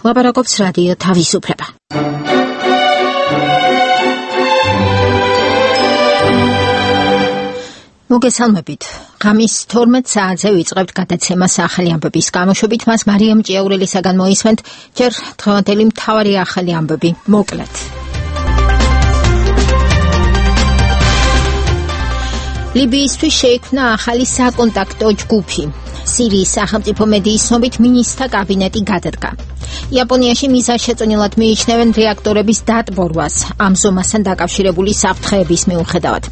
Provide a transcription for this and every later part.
ლაპარაკობს რადიო თავისუფლება. მოგესალმებით. ღამის 12 საათზე ვიწყებთ გადაცემას ახალი ამბების გამოშვებით. მას მარიამ ჭიაურელისაგან მოისმენთ. ჯერ დღევანდელი მთავარი ახალი ამბები მოკლედ. ლიბიისთვის შეიქმნა ახალი საკონტაქტო ჯგუფი. სირიის სახელმწიფო მედიის ცნობით მინისტრთა კაბინეტი გადადგა. იაპონიაში მიზანშეწონილად მიიჩნევენ რეაქტორების დატბორვას ამ ზომასთან დაკავშირებული საფრთხეების მიუხედავად.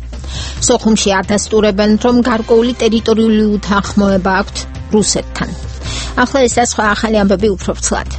სოხუმში ადასტურებენ, რომ გარკვეული ტერიტორიული უთანხმოება აქვთ რუსეთთან. ახლა ეს და სხვა ახალი ამბები უფრო ვრცლად.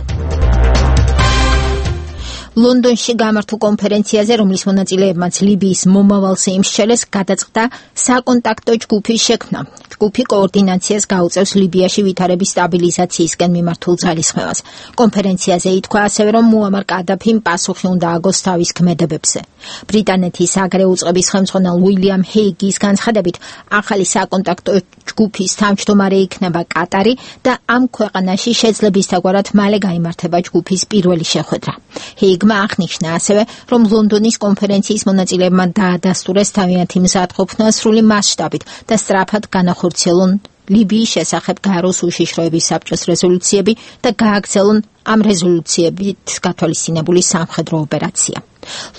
ლონდონში გამართულ კონფერენციაზე, რომლის მონაწილეებმაც ლიბიის მომავალს იმსჩელეს, გადაწყდა საკონტაქტო ჯგუფის შექმნა. ჯგუფი კოორდინაციას გაუწევს ლიბიაში ვითარების სტაბილიზაციისკენ მიმართულ ძალისხმევას. კონფერენციაზე ითქვა ასევე, რომ მუამარ კადაფიმ პასუხი უნდა აგოს თავის ქმედებებზე. ბრიტანეთის აგრე უწყების ხელმძღვანელ უილიამ ჰეიგის განცხადებით, ახალი საკონტაქტო ჯგუფის თავმჯდომარე იქნება კატარი და ამ ქვეყანაში შეძლებისთაგვარად მალე გაიმართება ჯგუფის პირველი შეხვედრა. ჰეიგმა აღნიშნა ასევე, რომ ლონდონის კონფერენციის მონაწილეებმა დაადასტურეს თავიანთი მზადყოფნა სრული მასშტაბით და სწრაფად განახორციელონ ლიბიის შესახებ გაეროს უშიშროების საბჭოს რეზოლუციები და გააგრძელონ ამ რეზოლუციებით გათვალისწინებული სამხედრო ოპერაცია.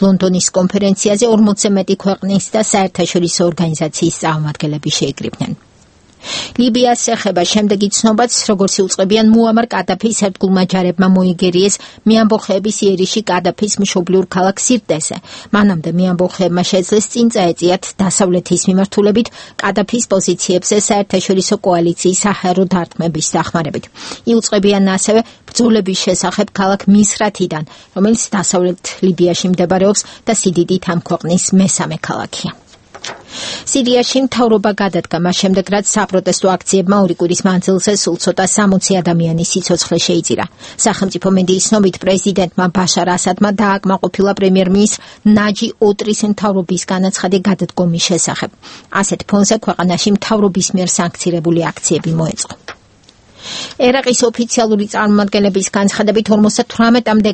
ლონდონის კონფერენციაზე 40-ზე მეტი ქვეყნის და საერთაშორისო ორგანიზაციის წარმომადგენლები შეიკრიბნენ. ლიბიას ეხება შემდეგი ცნობაც, როგორც იუწყებიან მუამარ კადაფის ერთგულმა ჯარებმა მოიგერიეს მეამბოხეების იერიში კადაფის მშობლიურ ქალაქ სირტეზე. მანამდე მეამბოხეებმა შეძლეს წინ წაეწიათ დასავლეთის მიმართულებით კადაფის პოზიციებზე საერთაშორისო კოალიციის საჰაერო დარტყმების დახმარებით. იუწყებიან ასევე ბრძოლების შესახებ ქალაქ მისრათიდან, რომელიც დასავლეთ ლიბიაში მდებარეობს და სიდიდით ამ ქვეყნის მესამე ქალაქია. სირიაში მთავრობა გადადგა მას შემდეგ, რაც საპროტესტო აქციებმა 2 კვირის მანძილზე სულ ცოტა 60 ადამიანის სიცოცხლე შეიწირა. სახელმწიფო მედიის ცნობით, პრეზიდენტმა ბაშარ ასადმა დააკმაყოფილა პრემიერ-მინისტრ ნაჯი ოტრის მთავრობის განაცხადი გადადგომის შესახებ. ასეთ ფონზე ქვეყანაში მთავრობის მიერ სანქცირებული აქციები მოეწყო. ერაყის ოფიციალური წარმომადგენლების განცხადებით 58-მდე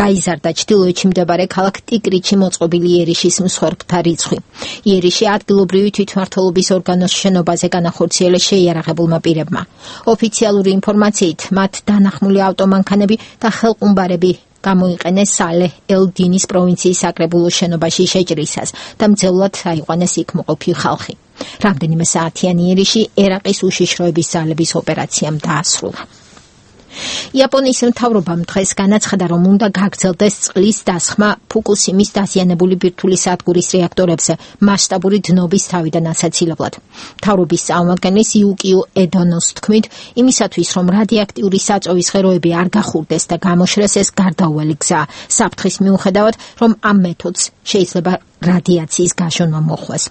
გაიზარდა ჩრდილოეთში მდებარე ქალაქ ტიკრიტში მოწყობილი იერიშის მსხვერპლთა რიცხვი. იერიში ადგილობრივი თვითმმართველობის ორგანოს შენობაზე განახორციელეს შეიარაღებულმა პირებმა. ოფიციალური ინფორმაციით, მათ დანახმული ავტომანქანები და ხელყუმბარები გამოიყენეს სალეჰ ელ-დინის პროვინციის საკრებულოს შენობაში შეჭრისას და მძევლად აიყვანეს იქ მოყოფი ხალხი. რამდენიმე საათიანი იერიში ერაყის უშიშროების ძალების ოპერაციამ დაასრულა. იაპონიის მთავრობამ დღეს განაცხადა, რომ უნდა გაგრძელდეს წყლის დასხმა ფუკუსიმის დაზიანებული ბირთვული სადგურის რეაქტორებზე მასშტაბური დნობის თავიდან ასაცილებლად. მთავრობის წარმომადგენლის იუკიო ედონოს თქმით, იმისათვის, რომ რადიოაქტიური საწოვის ღეროები არ გახურდეს და გამოშრეს, ეს გარდაუვალი გზაა საფრთხის მიუხედავად, რომ ამ მეთოდს შეიძლება რადიაციის გაშონა მოხდეს.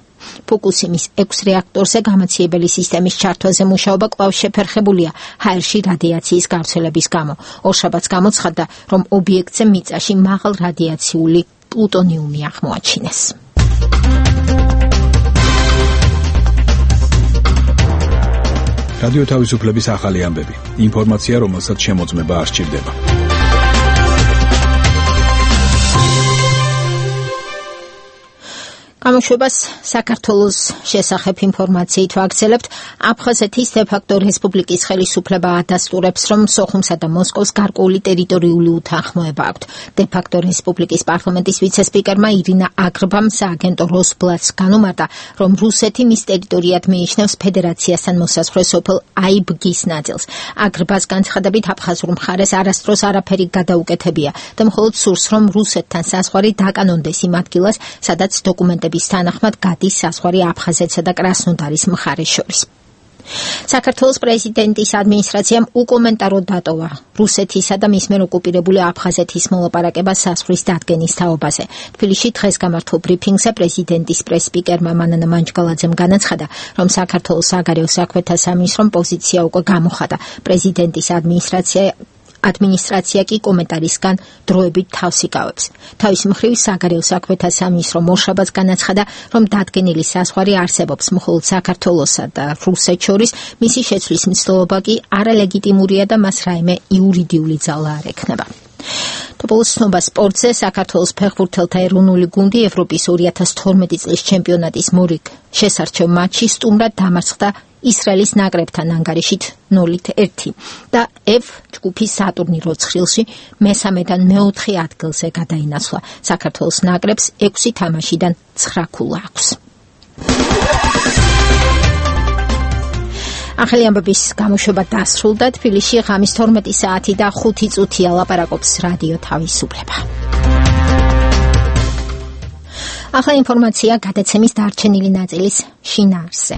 ფუკუსიმის 6 რეაქტორზე გამაციებელი სისტემის ჩართვაზე მუშაობა კვლავ შეფერხებულია ჰაერში რადიაციის გავრცელების გამო. ორშაბათს გამოცხადდა, რომ ობიექტზე მიწაში მაღალ რადიაციული პლუტონიუმი აღმოაჩინეს. რადიო თავისუფლების ახალი ამბები. ინფორმაცია, რომელსაც შემოწმება არ სჭირდება. გამოშვებას საქართველოს შესახებ ინფორმაციით ვაგრძელებთ. აფხაზეთის დე-ფაქტო რესპუბლიკის ხელისუფლება ადასტურებს, რომ სოხუმსა და მოსკოვს გარკვეული ტერიტორიული უთანხმოება აქვთ. დე-ფაქტო რესპუბლიკის პარლამენტის ვიცე-სპიკერმა ირინა აგრბამ სააგენტო როსბლათს განუმარტა, რომ რუსეთი მის ტერიტორიად მიიჩნევს ფედერაციასთან მოსაზღვრე სოფელ აიბგის ნაწილს. აგრბას განცხადებით, აფხაზურ მხარეს არასდროს არაფერი გადაუკეთებია და მხოლოდ სურს, რომ რუსეთთან საზღვარი დაკანონდეს იმ ადგილას, სადაც დოკუმენტები თანახმად გადის საზღვარი აფხაზეთსა და კრასნოდარის მხარეს შორის. საქართველოს პრეზიდენტის ადმინისტრაციამ უკომენტაროდ დატოვა რუსეთისა და მის მიერ ოკუპირებული აფხაზეთის მოლაპარაკება საზღვრის დადგენის თაობაზე. თბილისში დღეს გამართულ ბრიფინგზე პრეზიდენტის პრეს-სპიკერმა მანანა მანჯგალაძემ განაცხადა, რომ საქართველოს საგარეო საქმეთა სამინისტრომ პოზიცია უკვე გამოხატა. პრეზიდენტის ადმინისტრაცია ადმინისტრაცია კი კომენტარისგან დროებით თავს იკავებს. თავის მხრივ საგარეო საქმეთა სამინისტრო მორშაბაც განაცხადა, რომ დადგენილი საზღვარი არსებობს მხოლოდ საქართველოსა და რუსეთს შორის, მისი შეცვლის მცდელობა კი არალეგიტიმურია და მას რაიმე იურიდიული ძალა არ ექნება. თბილისის ცნობა სპორტზე საქართველოს ფეხბურთელთა ეროვნული გუნდი ევროპის 2012 წლის ჩემპიონატის მორიგ შესარჩევ მატჩში სტუმრად დამარცხდა ისრაელის ნაკრებთან ანგარიშით 0-1 და F ჯგუფის სატურნირო ცხრილში მესამედან მეოთხე ადგილზე გადაინაცვლა. საქართველოს ნაკრებს 6 თამაშიდან 9 ქულა აქვს. ახალი ამბების გამოშვება დასრულდა. თბილისში ღამის 12 საათი და 5 წუთია ლაპარაკობს რადიო თავისუფლება. ახლა ინფორმაცია გადაცემის დარჩენილი ნაწილის შინაარსზე.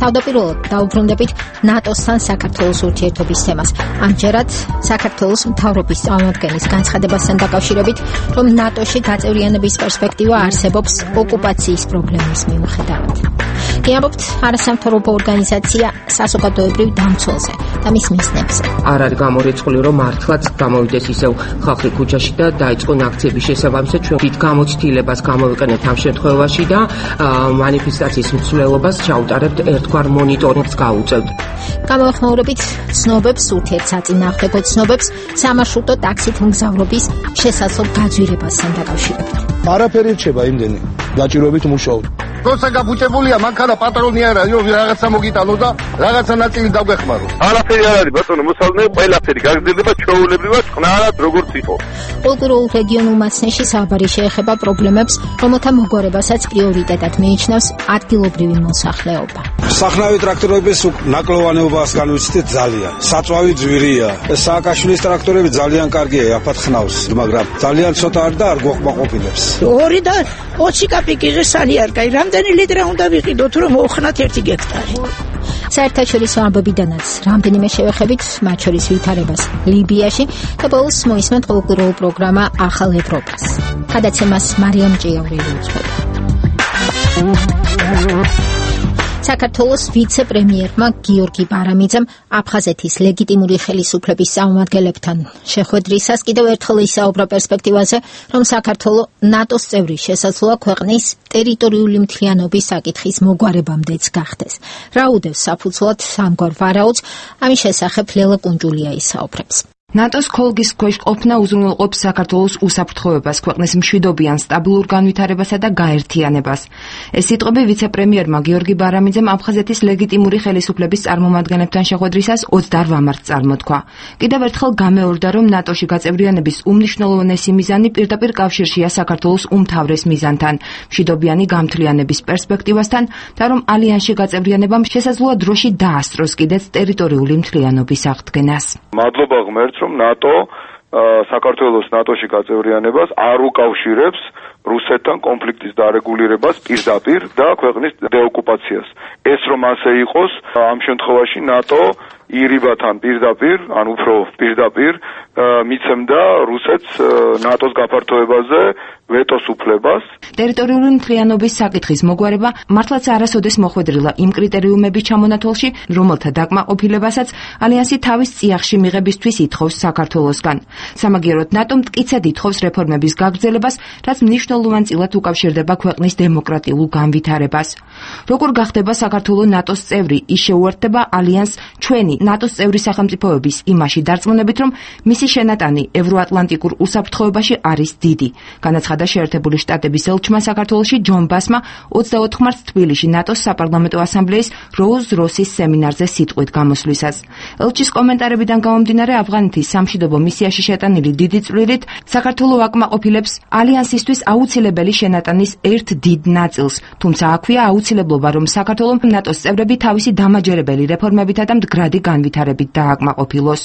თავდაპირველად დაუბრუნდებით ნატოსთან საქართველოს ურთიერთობის თემას. ამჯერად საქართველოს მთავრობის წარმომადგენლის განცხადებასთან დაკავშირებით, რომ ნატოში გაწევრიანების პერსპექტივა არსებობს ოკუპაციის პრობლემის მიუხედავად. გიამბობთ არასამთავრობო ორგანიზაცია საზოგადოებრივ დამცველზე და მის მიზნებზე. არ არის გამორიცხული, რომ მართლაც გამოვიდეს ისევ ხალხი ქუჩაში და დაიწყონ აქციების შესაბამისად ჩვენ დიდ გამოცდილებას გამოვიყენებთ ამ შემთხვევაში და მანიფესტაციის მსვლელობას ჩაუტარებთ ერთგვარ მონიტორინგს გავუწევთ. გამოეხმაურებით ცნობებს, ურთიერთსაწინააღმდეგო ცნობებს სამარშრუტო ტაქსით მგზავრობის შესაძლო გაძვირებასთან დაკავშირებით. არაფერი რჩება იმდენი დაჭიროებით მუშაობ. როცა გაბუჭებულია მანქანა პატრონი არა, რაღაცა მოგიტანო და რაღაცა ნაწილი დაგვეხმარო. არაფერი არ არის ბატონო, მოსალნე ყველაფერი გაგრძელდება ჩვეულებრივად წყნარად როგორც იყო. კულტურულ რეგიონულ მასნეში საუბარი შეეხება პრობლემებს, რომელთა მოგვარებასაც პრიორიტეტად მიიჩნევს ადგილობრივი მოსახლეობა. სახნავი ტრაქტორების ნაკლოვანეობას განვიცდით ძალიან. საწვავი ძვირია. სააკაშვილის ტრაქტორები ძალიან კარგია, აფათ ხნავს, მაგრამ ძალიან ცოტა არ და არ გვოყმაყოფილებს. 2 და 20 კაპიკიზე სალი არ გაი. რამდენი ლიტრი უნდა ვიყიდოთ, რომ მოხნათ 1 გექტარი? საერთაშორისო ამბებიდანაც რამდენიმე შევეხებით, მათ შორის ვითარებას ლიბიაში და ბოლოს მოისმენთ კულტურულ პროგრამა ახალ ევროპას. გადაცემას მარიამ ჭიაურელი უძღვება. საქართველოს ვიცე-პრემიერმა გიორგი ბარამიძემ აფხაზეთის ლეგიტიმური ხელისუფლების წარმომადგენლებთან შეხვედრისას კიდევ ერთხელ ისაუბრა პერსპექტივაზე, რომ საქართველო ნატოს წევრი შესაძლოა ქვეყნის ტერიტორიული მთლიანობის საკითხის მოგვარებამდეც გახდეს. რა უდევს საფუძვლად ამგვარ ვარაუდს, ამის შესახებ ლელა კუნჯულია ისაუბრებს. ნატოს ქოლგის ქვეშ ყოფნა უზრუნველყოფს საქართველოს უსაფრთხოებას, ქვეყნის მშვიდობიან სტაბილურ განვითარებასა და გაერთიანებას. ეს სიტყვები ვიცე-პრემიერმა გიორგი ბარამიძემ აფხაზეთის ლეგიტიმური ხელისუფლების წარმომადგენლებთან შეხვედრისას 28 მარტს წარმოთქვა. კიდევ ერთხელ გამეორდა, რომ ნატოში გაწევრიანების უმნიშვნელოვანესი მიზანი პირდაპირ კავშირშია საქართველოს უმთავრეს მიზანთან, მშვიდობიანი გამთლიანების პერსპექტივასთან და რომ ალიანსში გაწევრიანებამ შესაძლოა დროში დაასწროს კიდეც ტერიტორიული მთლიანობის აღდგენას. მადლობა ღმერთს, რომ ნატო საქართველოს ნატოში გაწევრიანებას არ უკავშირებს რუსეთთან კონფლიქტის დარეგულირებას პირდაპირ და ქვეყნის დეოკუპაციას. ეს რომ ასე იყოს, ამ შემთხვევაში ნატო ირიბათან პირდაპირ, ან უფრო პირდაპირ მიცემდა რუსეთს ნატოს გაფართოებაზე ვეტოს უფლებას. ტერიტორიული მთლიანობის საკითხის მოგვარება მართლაც არასოდეს მოხვედრილა იმ კრიტერიუმების ჩამონათვალში, რომელთა დაკმაყოფილებასაც ალიანსი თავის წიაღში მიღებისთვის ითხოვს საქართველოსგან. სამაგიეროდ ნატომ მტკიცედ ითხოვს რეფორმების გაგრძელებას, რაც მნიშვნელოვანწილად უკავშირდება ქვეყნის დემოკრატიულ განვითარებას. როგორ გახდება საქართველო ნატოს წევრი, ის შეუერთდება ალიანსს ჩვენი ნატოს წევრი სახელმწიფოების იმაში დარწმუნებით, რომ მისი შენატანი ევროატლანტიკურ უსაფრთხოებაში არის დიდი. განაცხადა შეერთებული შტატების ელჩმა საქართველოში ჯონ ბასმა 24 მარტს თბილისში ნატოს საპარლამენტო ასამბლეის როუზ როსის სემინარზე სიტყვით გამოსვლისას. ელჩის კომენტარებიდან გამომდინარე, ავღანეთის სამშვიდობო მისიაში შეტანილი დიდი წვლილით საქართველო აკმაყოფილებს ალიანსისთვის აუცილებელი შენატანის ერთ დიდ ნაწილს, თუმცა აქვეა აუცილებლობა, რომ საქართველომ ნატოს წევრები თავისი დამაჯერებელი რეფორმებითა და მდგრადი განვითარებით დააკმაყოფილოს.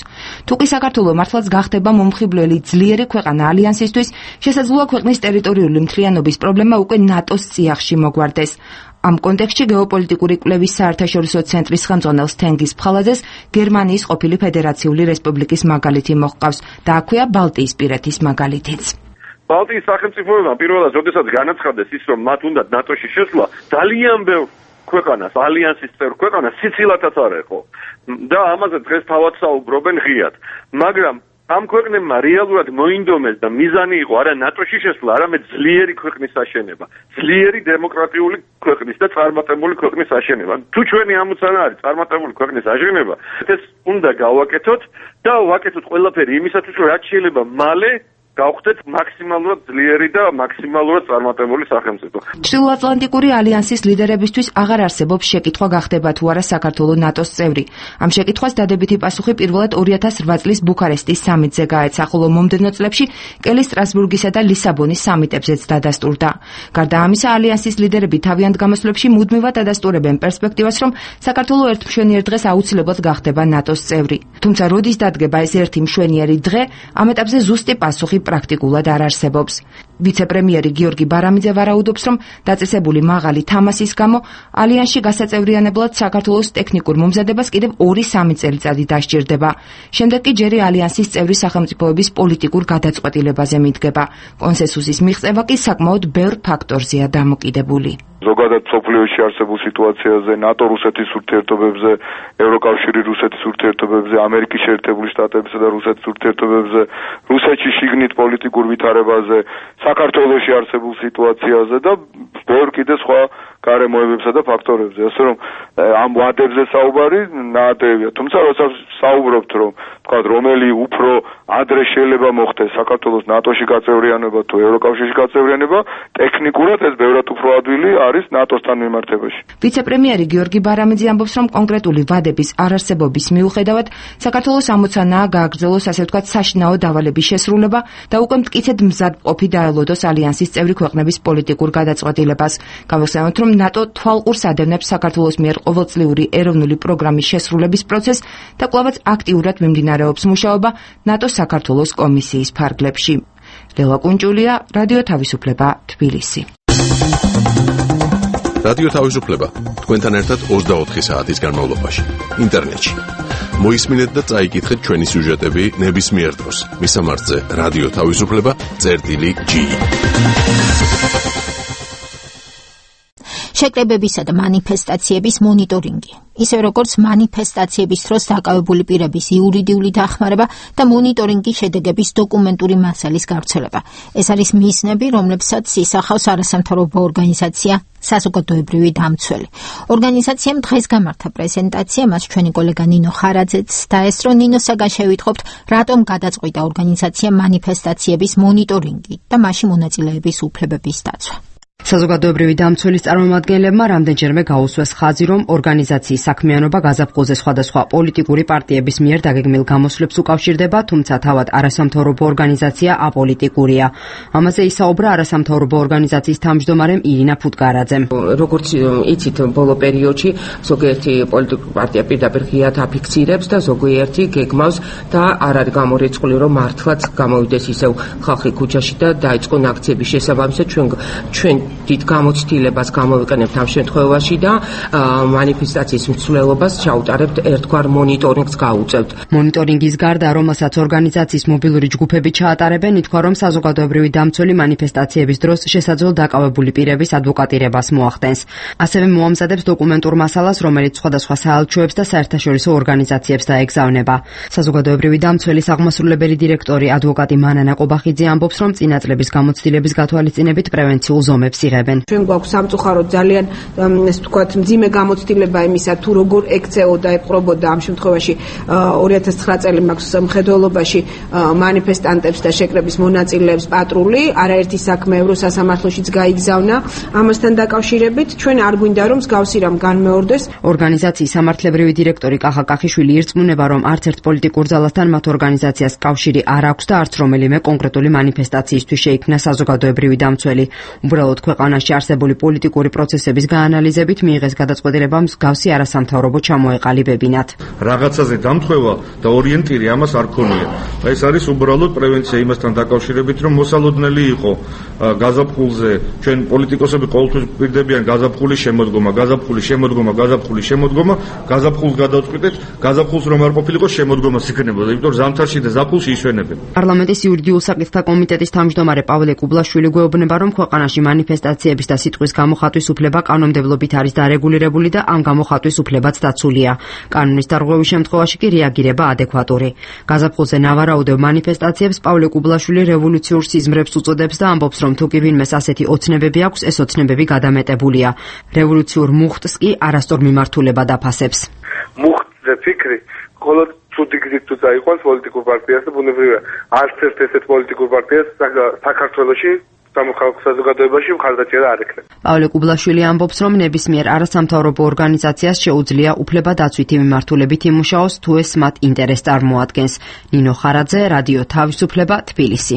თუკი საქართველო მართლაც გახდება მომხიბვლელი ძლიერი ქვეყანა ალიანსისთვის, შესაძლოა ქვეყნის ტერიტორიული მთლიანობის პრობლემა უკვე ნატოს წიაღში მოგვარდეს. ამ კონტექსტში გეოპოლიტიკური კვლევის საერთაშორისო ცენტრის ხელმძღვანელ თენგიზ ფხალაძეს გერმანიის ყოფილი ფედერაციული რესპუბლიკის მაგალითი მოჰყავს და აქვეა ბალტიისპირეთის მაგალითიც. ბალტიის სახელმწიფოებმა პირველად როდესაც განაცხადეს ის, რომ მათ უნდა ნატოში შესვლა, ძალიან ბევრ ქვეყანას, ალიანსის წევრ ქვეყანას სიცილათაც არ ეხო. და ამაზე დღეს თავად საუბრობენ ღიად. მაგრამ ამ ქვეყნებმა რეალურად მოინდომეს და მიზანი იყო არა ნატოში შესვლა, არამედ ძლიერი ქვეყნის აშენება, ძლიერი დემოკრატიული ქვეყნის და წარმატებული ქვეყნის აშენება. თუ ჩვენი ამოცანა არის წარმატებული ქვეყნის აშენება, ეს უნდა გავაკეთოთ და ვაკეთოთ ყველაფერი იმისათვის, რომ რაც შეიძლება მალე გავხდეთ მაქსიმალურად ძლიერი და მაქსიმალურად წარმატებული სახელმწიფო. ჩრდილოატლანტიკური ალიანსის ლიდერებისთვის აღარ არსებობს შეკითხვა გახდება თუ არა საქართველოს ნატოს წევრი. ამ შეკითხვას დადებითი პასუხი პირველად 2008 წლის ბუქარესტის სამიტზე გაეცა, ხოლო მომდევნო წლებში კელი სტრასბურგისა და ლისაბონის სამიტებზეც დადასტურდა. გარდა ამისა, ალიანსის ლიდერები თავიანთ გამოსვლებში მუდმივად ადასტურებენ პერსპექტივას, რომ საქართველოს ერთ მშვენიერ დღეს აუცილებლად გახდება ნატოს წევრი. თუმცა როდის დადგება ეს ერთი მშვენიერი დღე, ამ ეტაპზე ზუსტი პასუხი პრაქტიკულად არ არსებობს. ვიცე-პრემიერი გიორგი ბარამიძე ვარაუდობს, რომ დაწესებული მაღალი თამასის გამო ალიანსში გასაწევრიანებლად საქართველოს ტექნიკურ მომზადებას კიდევ 2-3 წელიწადი დასჭირდება. შემდეგ კი ჯერი ალიანსის წევრი სახელმწიფოების პოლიტიკურ გადაწყვეტილებაზე მიდგება. კონსენსუსის მიღწევა კი საკმაოდ ბევრ ფაქტორზეა დამოკიდებული. ზოგადად სოფლიოში არსებულ სიტუაციაზე, ნატო-რუსეთის ურთიერთობებზე, ევროკავშირი რუსეთის ურთიერთობებზე, ამერიკის შეერთებული შტატებისა და რუსეთის ურთიერთობებზე, რუსეთში შიგნით პოლიტიკურ ვითარებაზე, საქართველოში არსებულ სიტუაციაზე და ბევრ კიდე სხვა გარემოებებსა და ფაქტორებზე. ასე რომ ამ ვადებზე საუბარი ნაადრევია. თუმცა როცა საუბრობთ, რომ თქვა რომელი უფრო ადრე შეიძლება მოხდეს საქართველოს ნატოში გაწევრიანება თუ ევროკავშირში გაწევრიანება, ტექნიკურად ეს ბევრად უფრო ადვილი არის ნატოსთან მიმართებაში. ვიცე-პრემიერი გიორგი ბარამიძე ამბობს, რომ კონკრეტული ვადების არარსებობის მიუხედავად საქართველოს ამოცანაა გააგრძელოს ასე ვთქვათ საშინაო დავალების შესრულება და უკვე მტკიცედ მზად ყოფი დაელოდოს ალიანსის წევრი ქვეყნების პოლიტიკურ გადაწყვეტილებას. გავიხსენოთ, რომ ნატო თვალყურს ადევნებს საქართველოს მიერ ყოველწლიური ეროვნული პროგრამის შესრულების პროცესს და კვლავაც აქტიურად მიმდინარეობს მუშაობა ნატოს საქართველოს კომისიის ფარგლებში. ლელა კუნჭულია, რადიო თავისუფლება, თბილისი. რადიო თავისუფლება თქვენთან ერთად 24 საათის განმავლობაში ინტერნეტში. მოისმინეთ და წაიკითხეთ ჩვენი სიუჟეტები ნებისმიერ დროს. მისამართზე რადიო თავისუფლება.g. შეკრებებისა და მანიფესტაციების მონიტორინგი. ისე როგორც მანიფესტაციების დროს დაკავებული პირების იურიდიული დახმარება და მონიტორინგის შედეგების დოკუმენტური მასალის გავრცელება. ეს არის მიზნები, რომლებსაც ისახავს არასამთავრობო ორგანიზაცია საზოგადოებრივი დამცველი. ორგანიზაციამ დღეს გამართა პრეზენტაცია, მას ჩვენი კოლეგა ნინო ხარაძეც დაესწრო. ნინოსაგან შევიტყობთ, რატომ გადაწყვიტა ორგანიზაციამ მანიფესტაციების მონიტორინგი და მასში მონაწილეების უფლებების დაცვა. საზოგადოებრივი დამცველის წარმომადგენლებმა რამდენჯერმე გაუსვეს ხაზი, რომ ორგანიზაციის საქმიანობა გაზაფხულზე სხვადასხვა პოლიტიკური პარტიების მიერ დაგეგმილ გამოსვლებს უკავშირდება, თუმცა თავად არასამთავრობო ორგანიზაცია აპოლიტიკურია. ამაზე ისაუბრა არასამთავრობო ორგანიზაციის თავმჯდომარემ ირინა ფუტკარაძემ. როგორც იცით, ბოლო პერიოდში ზოგიერთი პოლიტიკური პარტია პირდაპირ ღიად აფიქსირებს და ზოგიერთი გეგმავს და არ არის გამორიცხული, რომ მართლაც გამოვიდეს ისევ ხალხი ქუჩაში და დაიწყონ აქციების შესაბამისად ჩვენ დიდ გამოცდილებას გამოვიყენებთ ამ შემთხვევაში და მანიფესტაციის მსვლელობას ჩაუტარებთ ერთგვარ მონიტორინგს გაუწევთ. მონიტორინგის გარდა, რომელსაც ორგანიზაციის მობილური ჯგუფები ჩაატარებენ, ითქვა, რომ საზოგადოებრივი დამცველი მანიფესტაციების დროს შესაძლო დაკავებული პირების ადვოკატირებას მოახდენს. ასევე მოამზადებს დოკუმენტურ მასალას, რომელიც სხვადასხვა საელჩოებს და საერთაშორისო ორგანიზაციებს დაეგზავნება. საზოგადოებრივი დამცველის აღმასრულებელი დირექტორი ადვოკატი მანანა ყობახიძე ამბობს, რომ წინა წლების გამოცდილების გათვალისწინებით პრევენციულ ზომებს იღებენ. ჩვენ გვაქვს სამწუხაროდ ძალიან ეს ვთქვათ მძიმე გამოცდილება იმისა, თუ როგორ ექცეოდა ეპყრობოდა ამ შემთხვევაში 2009 წელი მაქვს მხედველობაში მანიფესტანტებს და შეკრების მონაწილეებს პატრული, არაერთი საქმე ევროსასამართლოშიც გაიგზავნა. ამასთან დაკავშირებით ჩვენ არ გვინდა რომ მსგავსი რამ განმეორდეს. ორგანიზაციის სამართლებრივი დირექტორი კახა კახიშვილი ირწმუნება, რომ არც ერთ პოლიტიკურ ძალასთან მათ ორგანიზაციას კავშირი არ აქვს და არც რომელიმე კონკრეტული მანიფესტაციისთვის შეიქმნა საზოგადოებრივი დამცველი. უბრალოდ ქვეყანას ქვეყანაში არსებული პოლიტიკური პროცესების გაანალიზებით მიიღეს გადაწყვეტილება მსგავსი არასამთავრობო ჩამოეყალიბებინათ. Რაღაცაზე დამთხვევა და ორიენტირი ამას არ ქონია. ეს არის უბრალოდ პრევენცია იმასთან დაკავშირებით, რომ მოსალოდნელი იყო გაზაფხულზე ჩვენ პოლიტიკოსები ყოველთვის პირდებიან გაზაფხულის შემოდგომა, გაზაფხულს გადავწყვიტეთ, გაზაფხულს რომ არ ყოფილიყო შემოდგომას იქნებოდა, იმიტომ რომ ზამთარში და ზაფხულში ისვენებენ. პარლამენტის იურიდიულ საკითხთა კომიტეტის თავმჯდომარე პავლე კუბლაშვილი გვეუბნება, რომ ქვეყანაში მანიფესტაციების და სიტყვის გამოხატვის უფლება კანონმდებლობით არის დარეგულირებული და ამ გამოხატვის უფლებაც დაცულია. კანონის დარღვევის შემთხვევაში კი რეაგირება ადეკვატური. გაზაფხულზე ნავარაუდევ მანიფესტაციებს პავლე კუბლაშვილი რევოლუციურ სიზმრებს უწოდებს და ამბობს, რომ თუ კი ვინმეს ასეთი ოცნებები აქვს, ეს ოცნებები გადამეტებულია. რევოლუციურ მუხტს კი არასწორ მიმართულება დაფასებს. მუხტზე ფიქრი მხოლოდ ცუდი გზით თუ წაიყვანს პოლიტიკურ პარტიას და ბუნებრივია არც ერთ ესეთ პოლიტიკურ პარტიას საქართველოში სამოხალხო საზოგადოებაში მხარდაჭერა არ ექნება. პავლე კუბლაშვილი ამბობს, რომ ნებისმიერ არასამთავრობო ორგანიზაციას შეუძლია უფლებადაცვითი მიმართულებით იმუშაოს, თუ ეს მათ ინტერესს წარმოადგენს. ნინო ხარაძე, რადიო თავისუფლება, თბილისი.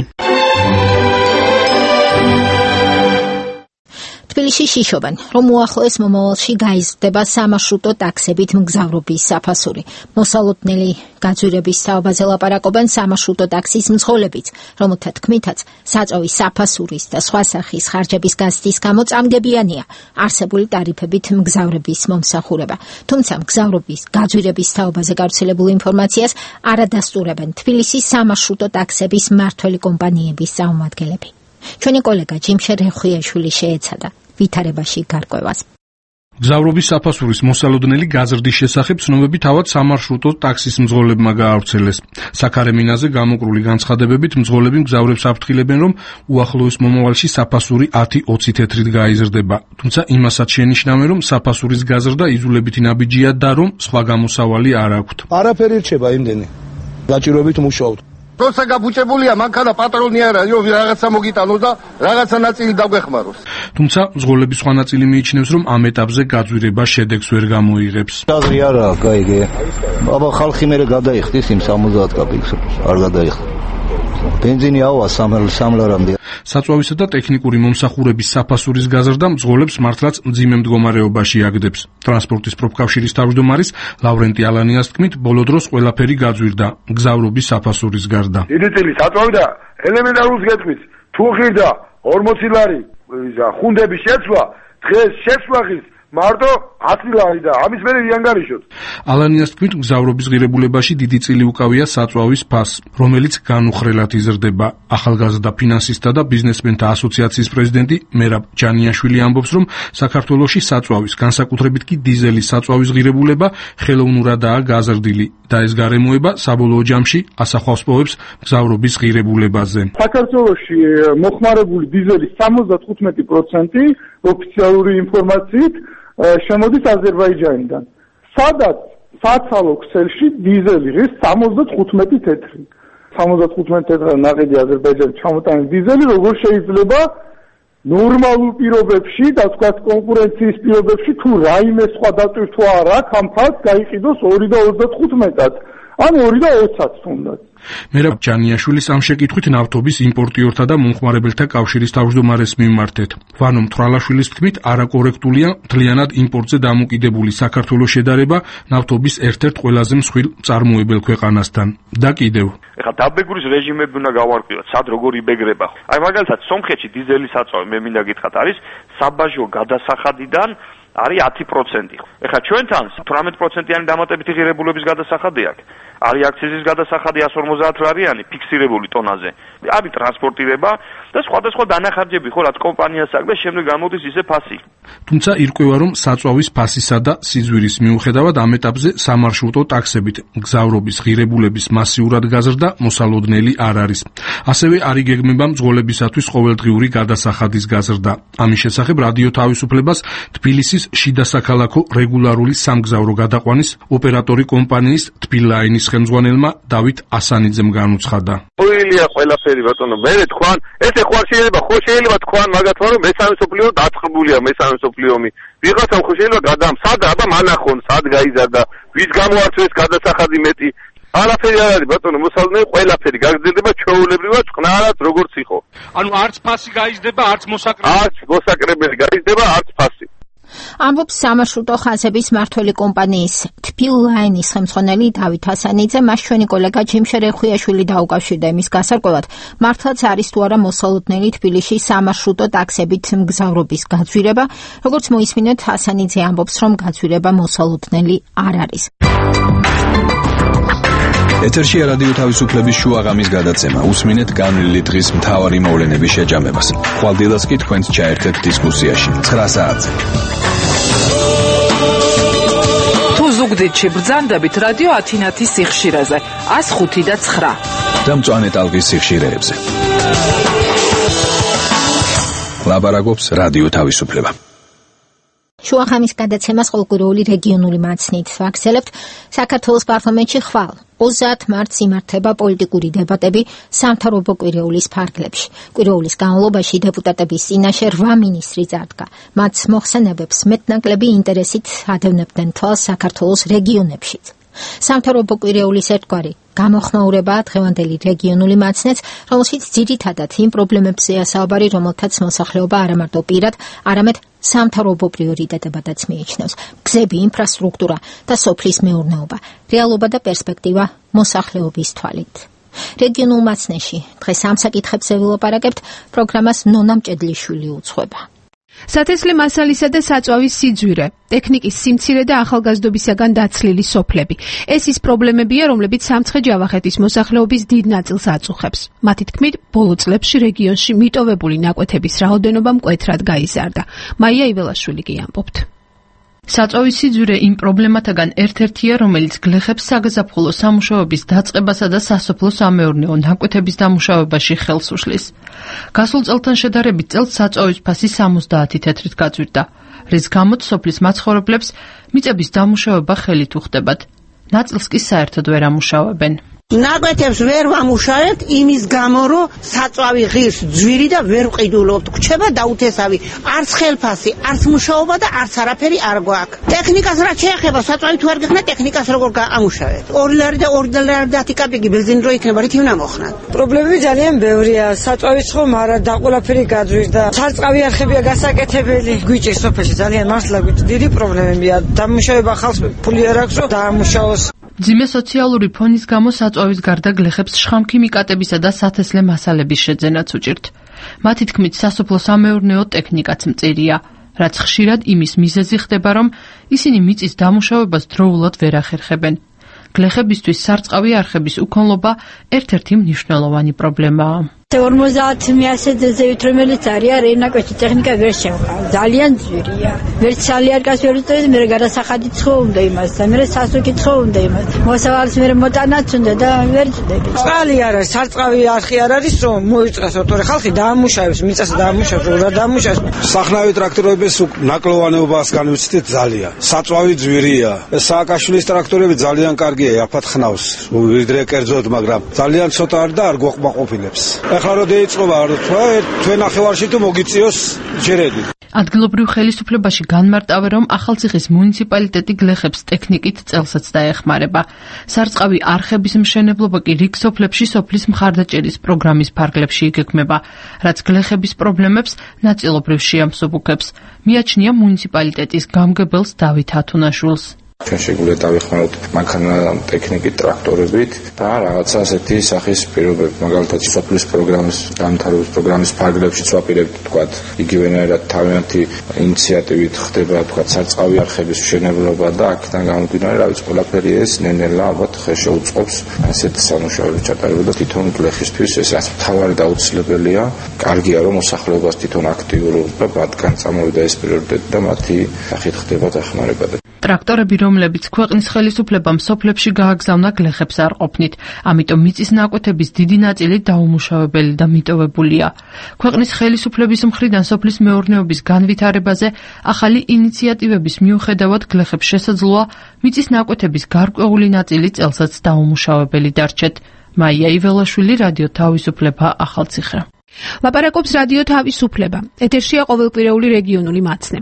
თბილისში შიშობენ, რომ უახლოეს მომავალში გაიზრდება სამარშრუტო ტაქსებით მგზავრობის საფასური. მოსალოდნელი გაძვირების თაობაზე ლაპარაკობენ სამარშრუტო ტაქსის მძღოლებიც, რომელთა თქმითაც საწვავის საფასურის და სხვა სახის ხარჯების გაზრდის გამო წამგებიანია არსებული ტარიფებით მგზავრების მომსახურება. თუმცა მგზავრობის გაძვირების თაობაზე გავრცელებულ ინფორმაციას არ ადასტურებენ თბილისის სამარშრუტო ტაქსების მმართველი კომპანიების წარმომადგენლები. ჩვენი კოლეგა ჯიმშე რეხუიაშვილი შეეცადა ვითარებაში გარკვევას. მგზავრობის საფასურის მოსალოდნელი გაზრდის შესახებ ცნობები თავად სამარშრუტო ტაქსის მძღოლებმა გაავრცელეს. საქარე მინაზე გამოკრული განცხადებებით მძღოლები მგზავრებს აფრთხილებენ, რომ უახლოეს მომავალში საფასური 10-20 თეთრით გაიზრდება. თუმცა იმასაც შენიშნავენ, რომ საფასურის გაზრდა იძულებითი ნაბიჯია და რომ სხვა გამოსავალი არ აქვთ. არაფერი რჩება იმდენი. გაჭირვებით მუშაობთ. როცა გაბუჭებულია მანქანა პატრონი არა, რაღაცა მოგიტანოს და რაღაცა ნაწილი დაგვეხმაროს. თუმცა მძღოლების სხვა ნაწილი მიიჩნევს, რომ ამ ეტაპზე გაძვირება შედეგს ვერ გამოიღებს. აზრი არაა, გაიგე. აბა ხალხი მერე გადაიხდის იმ 70 კაპიკს, არ გადაიხდა. ბენზინი ავა 3 ლარამდე. საწვავისა და ტექნიკური მომსახურების საფასურის გაზრდა მძღოლებს მართლაც მძიმე მდგომარეობაში აგდებს. ტრანსპორტის პროფკავშირის თავმჯდომარის ლავრენტი ალანიას თქმით, ბოლო დროს ყველაფერი გაძვირდა მგზავრობის საფასურის გარდა. დიდი წილი საწვავი და ელემენტარულს გეტყვით, თუ ღირდა 40 ლარი ხუნდების შეცვლა, დღეს შეცვლახის მარტო 10 ლარი და ამის მერე რიანგარიშოთ. ალანიას თქმით, მგზავრობის ღირებულებაში დიდი წილი უკავია საწვავის ფასს, რომელიც განუხრელად იზრდება. ახალგაზრდა ფინანსისტთა და ბიზნესმენთა ასოციაციის პრეზიდენტი მერაბ ჯანიაშვილი ამბობს, რომ საქართველოში საწვავის, განსაკუთრებით კი დიზელის საწვავის ღირებულება ხელოვნურადაა გაზრდილი და ეს გარემოება საბოლოო ჯამში ასახავს პოვებს მგზავრობის ღირებულებაზე. საქართველოში მოხმარებული დიზელის 75% ოფიციალური ინფორმაციით შემოდის აზერბაიჯანიდან. სადაც საცალო ქსელში დიზელი ღირს 75 თეთრი. 75 თეთრად ნაყიდი აზერბაიჯანის ჩამოტანილი დიზელი როგორ შეიძლება ნორმალურ პირობებში და თქვა კონკურენციის პირობებში თუ რაიმე სხვა დატვირთვა არ აქვს ამ ფაქტს გაიყიდოს 2.35-ად ან 2.20-ად თუნდაც. მერაბ ჯანიაშვილის ამ შეკითხვით ნავთობის იმპორტიორთა და მომხმარებელთა კავშირის თავმჯდომარეს მიმართეთ. ვანო მთვრალაშვილის თქმით, არაკორექტულია მთლიანად იმპორტზე დამოკიდებული საქართველოს შედარება ნავთობის ერთ-ერთ ყველაზე მსხვილ მწარმოებელ ქვეყანასთან. და კიდევ ეხლა დაბეგურის რეჟიმები უნდა გავარკვიოთ, სად როგორ იბეგრება. აი მაგალითად სომხეთში დიზელის საწვავი მე მინდა გითხრათ არის საბაჟო გადასახადიდან არის 10%. ეხლა ჩვენთან 18%-იანი დამატებითი ღირებულების გადასახადი აქვს. არის აქციზის გადასახადი 150 ლარიანი ფიქსირებული ტონაზე. არის ტრანსპორტირება და სხვადასხვა დანახარჯები ხო რაც კომპანიას აქვს და შემდეგ გამოდის ისე ფასი. თუმცა ირკვევა, რომ საწვავის ფასისა და სიძვირის მიუხედავად ამ ეტაპზე სამარშრუტო ტაქსებით მგზავრობის ღირებულების მასიურად გაზრდა მოსალოდნელი არ არის. ასევე არ იგეგმება მძღოლებისათვის ყოველდღიური გადასახადის გაზრდა. ამის შესახებ რადიო თავისუფლებას თბილისის შიდა საქალაქო რეგულარული სამგზავრო გადაყვანის ოპერატორი კომპანიის თბილაინის ხელმძღვანელმა დავით ასანიძემ განუცხადა. ყვილია ყველაფერი ბატონო, მე თქვან, ესე ხო შეიძლება თქვან მაგათმა რომ მესამე სოფლიო დაწყებულია მესამე სოფლიომი. ვიღაცამ ხო შეიძლება გადამ, სად აბა მანახონ, სად გაიზარდა, ვის გამოართვეს გადასახადი მეტი. არაფერი არ არის ბატონო, მოსალოდნელი ყველაფერი გაგრძელდება ჩვეულებრივად წყნარად როგორც იყო. ანუ არც ფასი გაიზრდება, არც მოსაკრებელი. არც მოსაკრებელი გაიზრდება, არც ფასი. ამბობს სამარშრუტო ხაზების მმართველი კომპანიის თბილ ლაინის ხელმძღვანელი დავით ასანიძე. მას ჩვენი კოლეგა ჯიმშე რეხვიაშვილი დაუკავშირდა იმის გასარკვევად, მართლაც არის თუ არა მოსალოდნელი თბილისში სამარშრუტო ტაქსებით მგზავრობის გაძვირება. როგორც მოისმინეთ, ასანიძე ამბობს, რომ გაძვირება მოსალოდნელი არ არის. ეთერშია რადიო თავისუფლების შუაღამის გადაცემა. უსმინეთ განვლილი დღის მთავარი მოვლენების შეჯამებას. ხვალდილას კი თქვენს ჩაერთეთ დისკუსიაში 9 საათზე. თუ ზუგდიდში ბრძანდებით რადიო ათინათის სიხშირეზე 105 და 9 და მწვანე ტალღის სიხშირეებზე. ლაბარაკობს რადიო თავისუფლება. შუაღამის გადაცემას ყოველკვირეული რეგიონული მაცნით ვაგრძელებთ. საქართველოს პარლამენტში ხვალ 30 მარტს იმართება პოლიტიკური დებატები სამთავრობო კვირეულის ფარგლებში. კვირეულის განმავლობაში დეპუტატების წინაშე 8 მინისტრი წარდგა. მათ მოხსენებებს მეტნაკლები ინტერესით ადევნებდნენ თვალს საქართველოს რეგიონებშიც. სამთავრობო კვირეულის ერთგვარი გამოხმაურებაა დღევანდელი რეგიონული მაცნეც, რომელშიც ძირითადად იმ პრობლემებზეა საუბარი, რომელთაც მოსახლეობა არამარტო პირად, არამედ სამთავრობო პრიორიტეტებადაც მიიჩნევს. გზები, ინფრასტრუქტურა და სოფლის მეურნეობა, რეალობა და პერსპექტივა მოსახლეობის თვალით. რეგიონულ მაცნეში დღეს ამ საკითხებზე ვილაპარაკებთ. პროგრამას ნონა მჭედლიშვილი უძღვება. სათესლე მასალისა და საწვავის სიძვირე, ტექნიკის სიმცირე და ახალგაზრდობისაგან დაცლილი სოფლები. ეს ის პრობლემებია, რომლებიც სამცხე-ჯავახეთის მოსახლეობის დიდ ნაწილს აწუხებს. მათი თქმით, ბოლო წლებში რეგიონში მიტოვებული ნაკვეთების რაოდენობა მკვეთრად გაიზარდა. მაია იველაშვილი კი ამბობთ. საწვავის სიძვირე იმ პრობლემათაგან ერთ-ერთია, რომელიც გლეხებს საგაზაფხულო სამუშაოების დაწყებასა და სასოფლო-სამეურნეო ნაკვეთების დამუშავებაში ხელს უშლის. გასულ წელთან შედარებით წელს საწვავის ფასი 70 თეთრით გაძვირდა, რის გამოც სოფლის მაცხოვრებლებს მიწების დამუშავება ხელით უხდებათ. ნაწილს კი საერთოდ ვერ ამუშავებენ. ნაკვეთებს ვერ ვამუშავებთ იმის გამო, რომ საწვავი ღირს ძვირი და ვერ ვყიდულობთ. გვჩება დაუთესავი, არც ხელფასი, არც მუშაობა და არც არაფერი არ გვაქვს. ტექნიკას რაც შეეხება, საწვავი თუ არ გეხნა, ტექნიკას როგორ ამუშავებთ? 2 ლარი და 2 ლარი და 10 კაპიკი ბენზინი რო იქნება, რითი უნდა მოხნათ? პრობლემები ძალიან ბევრია. საწვავის ხომ არა და ყველაფერი გაძვირდა. სარწყავი არხებია გასაკეთებელი. გვიჭირს სოფელში ძალიან მართლა გვიჭირს. დიდი პრობლემებია. დამუშავება ხალხს ფული არ აქვს, რომ დაამუშავოს. ძიმე სოციალური ფონის გამო საწვავის გარდა გლეხებს შხამქიმიკატებისა და სათესლე მასალების შეძენაც უჭირთ. მათი თქმით, სასოფლო-სამეურნეო ტექნიკაც მწირია, რაც ხშირად იმის მიზეზი ხდება, რომ ისინი მიწის დამუშავებას დროულად ვერ ახერხებენ. გლეხებისთვის სარწყავი არხების უქონლობა ერთ-ერთი მნიშვნელოვანი პრობლემაა. 50 ზევით რომელიც არის რენაკვეთი ტექნიკა ვერ შევყავ. ძალიან ძვირია. ვერც სალიარკას ვერ უწევს, მე გადასახადი ცხო უნდა იმას და მე სასუქი ცხო უნდა იმას. მოსავალს მე მოტანაც უნდა და ვერ წდები. წყალი არ არის, სარწყავი არხი არ არის, რომ მოიწრას ოთორე ხალხი დაამუშავებს, მიწას დაამუშავებს, რა დაამუშავებს. სახნავი ტრაქტორების ნაკლოვანეობას განვიცდით ძალიან. საწვავი ძვირია. სააკაშვილის ტრაქტორები ძალიან კარგია, აფათ ხნავს. ვიდრე კერძოდ, მაგრამ ძალიან ცოტა არ და არ გვოყმაყოფილებს. ახლა რო დაიწყობა თქვენ ახევარში თუ მოგიწიოს ჯერედი. ადგილობრივ ხელისუფლებაში განმარტავე, რომ ახალციხის მუნიციპალიტეტი გლეხებს ტექნიკით წელსაც დაეხმარება. სარწყავი არხების მშენებლობა კი რიგ სოფლებში სოფლის მხარდაჭერის პროგრამის ფარგლებში იგეგმება, რაც გლეხების პრობლემებს ნაწილობრივ შეამსუბუქებს. მიაჩნია მუნიციპალიტეტის გამგებელს დავით ათუნაშვილს. ჩვენ შეგვიძლია დავეხმაროთ მანქანა ტექნიკით, ტრაქტორებით და რაღაცა ასეთი სახის პირობები, მაგალითად სოფლის პროგრამის დამთავრების პროგრამის ფარგლებშიც ვაპირებთ, თქვათ, იგივენაირად თავიანთი ინიციატივით ხდება, თქვათ, სარწყავი არხების მშენებლობა და აქედან გამომდინარე, რა ვიცი, ყველაფერი ეს ნელ-ნელა ალბათ ხელს შეუწყობს ასეთ სამუშაოების ჩატარებას და თვითონ გლეხისთვის ეს რაც მთავარი და აუცილებელია. კარგია, რომ მოსახლეობას თვითონ აქტიურობა, მათგან წამოვიდა ეს პრიორიტეტი და მათი სახით ხდება დახმარება. ტრაქტორები, რომლებიც ქვეყნის ხელისუფლებამ სოფლებში გააგზავნა, გლეხებს არ ყოფნით, ამიტომ მიწის ნაკვეთების დიდი ნაწილი დაუმუშავებელი და მიტოვებულია. ქვეყნის ხელისუფლების მხრიდან სოფლის მეურნეობის განვითარებაზე ახალი ინიციატივების მიუხედავად გლეხებს შესაძლოა მიწის ნაკვეთების გარკვეული ნაწილი წელსაც დაუმუშავებელი დარჩეთ. მაია იველაშვილი, რადიო თავისუფლება, ახალციხე. ლაპარაკობს რადიო თავისუფლება. ეთერშია ყოველკვირეული რეგიონული მაცნე.